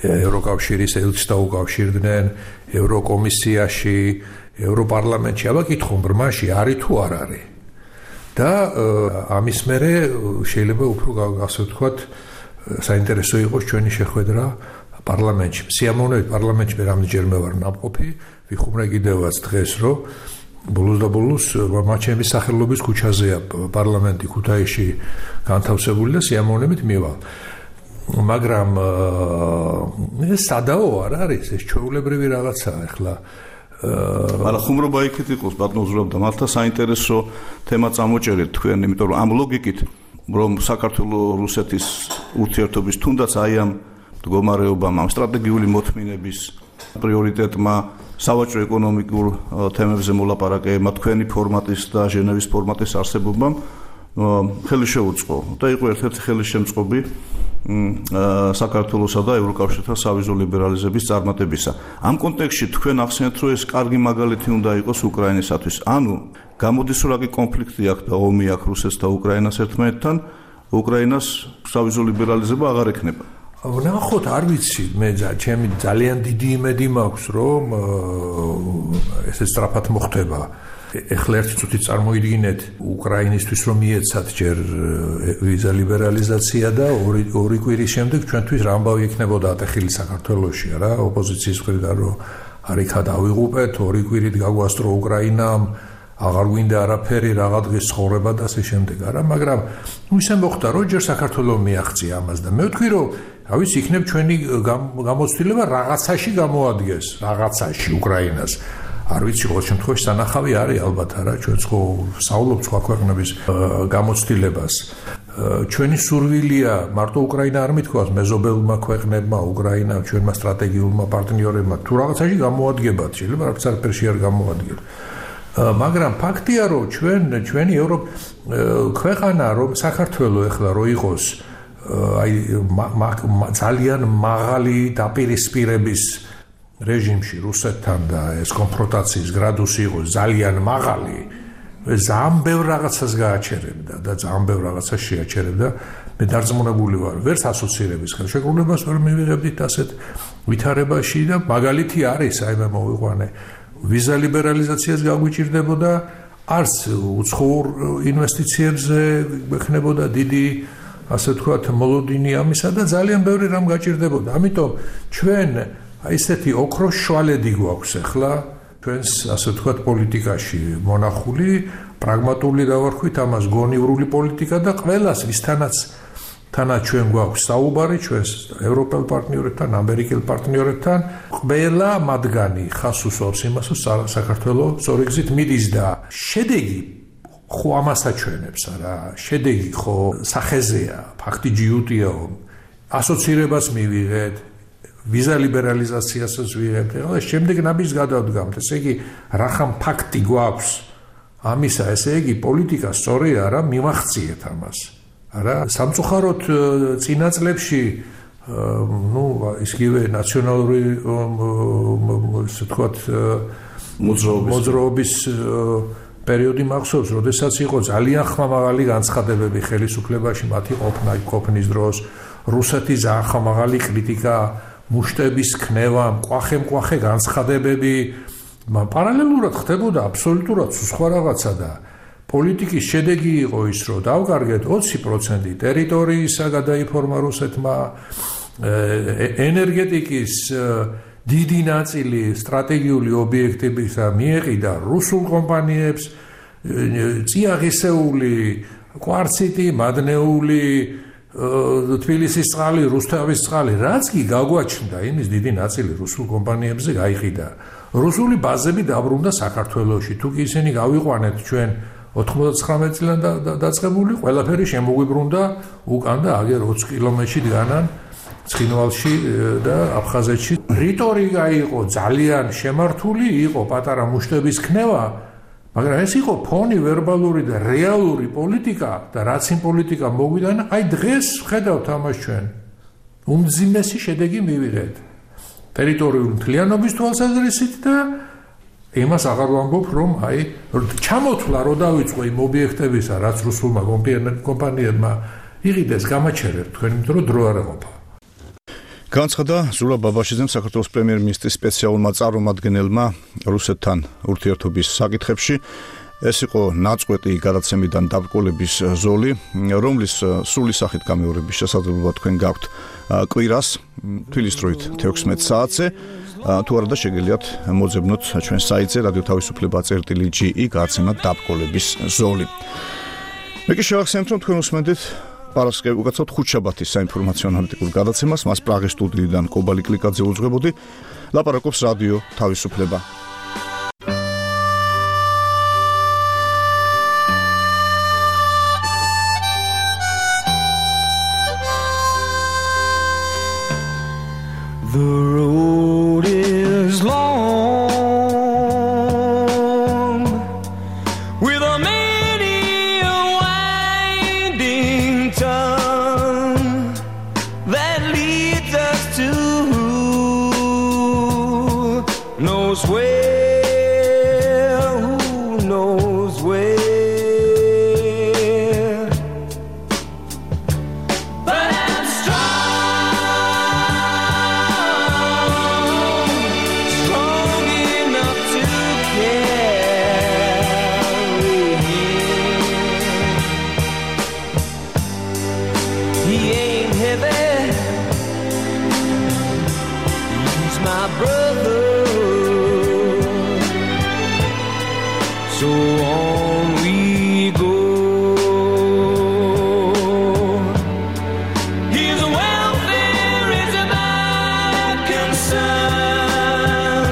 Speaker 11: ევროკავშირის ელჩს დაუკავშირდნენ, ევროკომისიაში, ევროპარლამენტში, აბა კითხონ ბრმაში არის თუ არ არის. და ამის მერე შეიძლება უფრო ასე ვთქვათ, საინტერესო იყოს ჩვენი შეხვედრა პარლამენტში. სიამოვნებით პარლამენტში მე რამდენჯერმე ვარ ნამყოფი, ვიხუმრე კიდევაც დღეს, რომ ბოლოს და ბოლოს მაჩემის სახელობის ქუჩაზეა პარლამენტი ქუთაისში განთავსებული და სიამოვნებით მივალ. მაგრამ ეს სადაო არ არის, ეს ჩვეულებრივი რაღაცაა ახლა.
Speaker 2: არა ხუმრობა იქით იყოს ბატონო ზურაბ და მართლა საინტერესო თემა წამოჭერეთ თქვენ, იმიტომ რომ ამ ლოგიკით რომ საქართველოს რუსეთის ურთიერთობის თუნდაც აი ამ მდგომარეობამ, ამ სტრატეგიული მოთმინების პრიორიტეტმა სავაჭრო ეკონომიკურ თემებზე მოლაპარაკებმა თქვენი ფორმატის და ჟენევის ფორმატის არსებობამ ხელი შეუწყო და იყო ერთ-ერთი ხელისშემწყობი საქართველოსა და ევროკავშირთან სავიზო ლიბერალიზების წარმატებისა. ამ კონტექსტში თქვენ ახსენეთ, რომ ეს კარგი მაგალითი უნდა იყოს უკრაინისათვის. ანუ გამოდის რომ რაკი კონფლიქტი აქვს და ომი აქვს რუსეთს და უკრაინას ერთმანეთთან, უკრაინას სავიზო ლიბერალიზება აღარ ექნება.
Speaker 11: ნახოთ, არ ვიცი, მე ჩემი ძალიან დიდი იმედი მაქვს, რომ ესე სწრაფად მოხდება. ეხლა ერთი წუთი წარმოიდგინეთ უკრაინისთვის რომ მიეცათ ჯერ ვიზა ლიბერალიზაცია და ორი კვირის შემდეგ ჩვენთვის რა ამბავი იქნებოდა ატეხილი საქართველოში რა ოპოზიციის მხრიდან რომ არიქა დავიღუპეთ ორი კვირით გაგვასწრო უკრაინამ აღარ გვინდა არაფერი რაღა დღის ცხოვრება და ასე შემდეგ არა მაგრამ ისე მოხდა რომ ჯერ საქართველოს მიაღწია ამას და მე ვთქვი რომ რა ვიცი იქნებ ჩვენი გამოცდილება რაღაცაში გამოადგეს რაღაცაში უკრაინას არ ვიცი ყოველ შემთხვევაში სანახავი არის ალბათ არა ჩვენც ხო საუბრობთ სხვა ქვეყნების გამოცდილებას ჩვენი სურვილია მარტო უკრაინა არ მithქვას მეზობელმა ქვეყნებმა უკრაინა ჩვენმა სტრატეგიულმა პარტნიორებმა თუ რაღაცაში გამოადგებათ შეიძლება რაღაც არაფერში არ გამოადგეს მაგრამ ფაქტია რომ ჩვენი ქვეყანა რომ საქართველოს ეხლა რო იყოს აი ძალიან მაღალი დაპირისპირების რეჟიმში რუსეთთან და ეს კონფრონტაციის გრადუსი იყო ძალიან მაღალი ძალიან ბევრ რაღაცას გააჩერებდა და ძალიან ბევრ რაღაცას შეაჩერებდა მე დარწმუნებული ვარ ვერც ასოცირების ხელშეკრულებას ვერ მივიღებდით ასეთ ვითარებაში და მაგალითი არის აი მე მოვიყვანე ვიზა ლიბერალიზაციას გაგვიჭირდებოდა არც უცხოურ ინვესტიციებზე გვექნებოდა დიდი ასე ვთქვათ მოლოდინი ამისა და ძალიან ბევრი რამ გაჭირდებოდა ამიტომ ჩვენ აი ესეთი ოქროს შვალედი გვაქვს ახლა ჩვენს ასე ვთქვათ პოლიტიკაში მონახული პრაგმატული დავარქვით ამას გონივრული პოლიტიკა და ყველას ვისთანაც ჩვენ გვაქვს საუბარი ჩვენს ევროპელ პარტნიორებთან ამერიკელ პარტნიორებთან ყველა მათგანი ხას უსვამს იმას რომ საქართველოს სწორი გზით მიდის და შედეგი ხო ამას აჩვენებს არა შედეგი ხო სახეზეა ფაქტი ჯიუტიაო ასოცირებას მივიღეთ ვიზა ლიბერალიზაციასაც ვიღებთ. ეხლა შემდეგ ნაბიჯს გადავდგამთ. ესე იგი, რახან ფაქტი გვაქვს ამისა, ესე იგი, პოლიტიკა სწორი არა, მივახციეთ ამას. არა, სამწუხაროდ წინა წლებში ისგივე ნაციონალური ისე თქვათ მოძრაობის პერიოდი მახსოვს, როდესაც იყო ძალიან ხმამაღალი განცხადებები ხელისუფლებაში მათი ყოფნის დროს, რუსეთის ძალიან ხმამაღალი კრიტიკა, მუშტების ქნევა, მკვახე განცხადებები, პარალელურად ხდებოდა აბსოლუტურად სხვა რაღაცა და პოლიტიკის შედეგი იყო ის, რომ დავკარგეთ 20% ტერიტორიისა გადაიფორმა რუსეთმა, ენერგეტიკის დიდი ნაწილი სტრატეგიული ობიექტებისა მიეყიდა რუსულ კომპანიებს, წიაღისეული, კვარციტი, მადნეული, თბილისის წყალი, რუსთავის წყალი, რაც კი გაგვაჩნდა, იმის დიდი ნაწილი რუსულ კომპანიებზე გაიყიდა. რუსული ბაზები დაბრუნდა საქართველოში. თუ კი ისინი გავიყვანეთ ჩვენ 99 წლიდან დაწყებული, ყველაფერი შემოგვიბრუნდა უკან და აგერ 20 კილომეტრში დგანან ცხინვალში და აფხაზეთში. რიტორიკა იყო ძალიან შემართული, იყო პატარა მუშტების ქნევა, მაგრამ ეს იყო ფონი ვერბალური და რეალური პოლიტიკა და რაც იმ პოლიტიკა მოგვიდან, აი დღეს ხედავთ ამას ჩვენ. უმძიმესი შედეგი მივიღეთ. ტერიტორიული მთლიანობის თვალსაზრისით და იმას აღარ ვამბობ, რომ აი ჩამოთვლა რო დავიწყო იმ ობიექტებისა, რაც რუსულმა კომპანიებმა იყიდეს, გამაჩერებთ თქვენ, იმიტომ რომ დრო არ ეყოფა.
Speaker 2: განცხადა ზურაბ ბაბაშიძემ საქართველოს პრემიერ-მინისტრის სპეციალურმა წარმომადგენელმა რუსეთთან ურთიერთობის საკითხებში. ეს იყო ნაწყვეტი გადაცემიდან დაბრკოლების ზოლი, რომლის სრული სახით გამეორების შესაძლებლობა თქვენ გაქვთ კვირას თბილისის დროით 16 საათზე. თუ არა და შეგიძლიათ მოძებნოთ ჩვენ საიტზე radio-თავისუფლება.gi გადაცემა დაბრკოლების ზოლი. მე კი შევახსენებთ, რომ თქვენ უსმენთ პარასკევი უკაცრავთ ხუთშაბათის საინფორმაციო ანალიტიკურ გადაცემას, მას პრაღის სტუდიიდან კობალი კლიკაძე უძღვებოდი. ლაპარაკობს რადიო თავისუფლება.
Speaker 15: The road is long with a many a winding tongue that leads us to who knows where, who knows where. But I'm strong enough to carry him. He ain't heavy, he's my brother. So on we go. His welfare is my concern.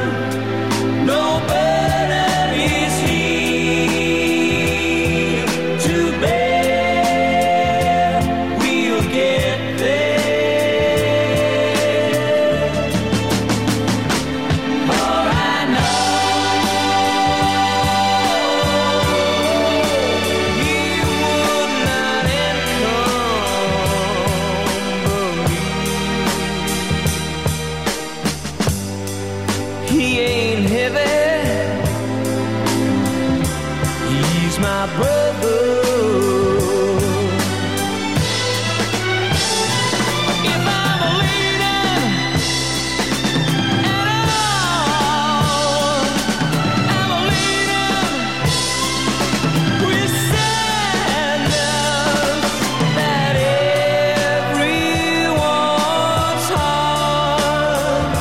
Speaker 15: No burden is he to bear. We'll get there. For I know he would not encumber me. He ain't heavy, he's my brother. If I'm a leader at all, I'm a leader with sadness that everyone's heart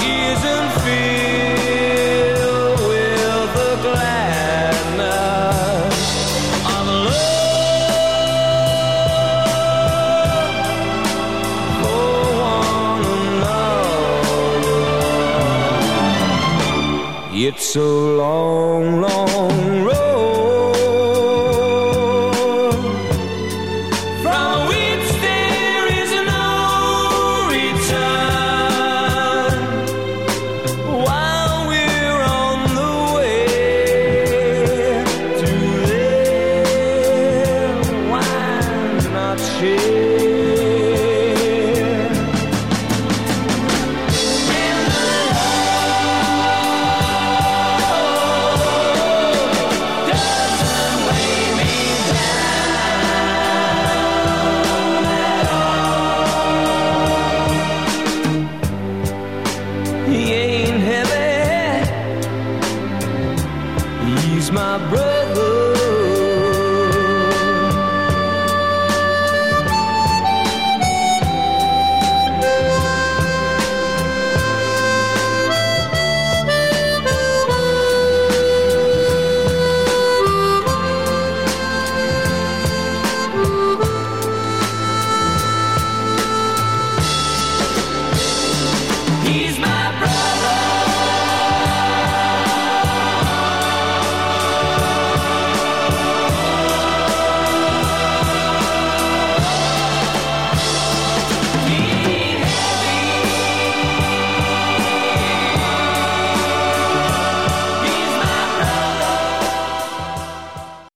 Speaker 15: isn't filled with the gladness of love for one another. It's a long, long road from which there is no return. share. And the love doesn't weigh me down at all. He ain't heavy. He's my brother.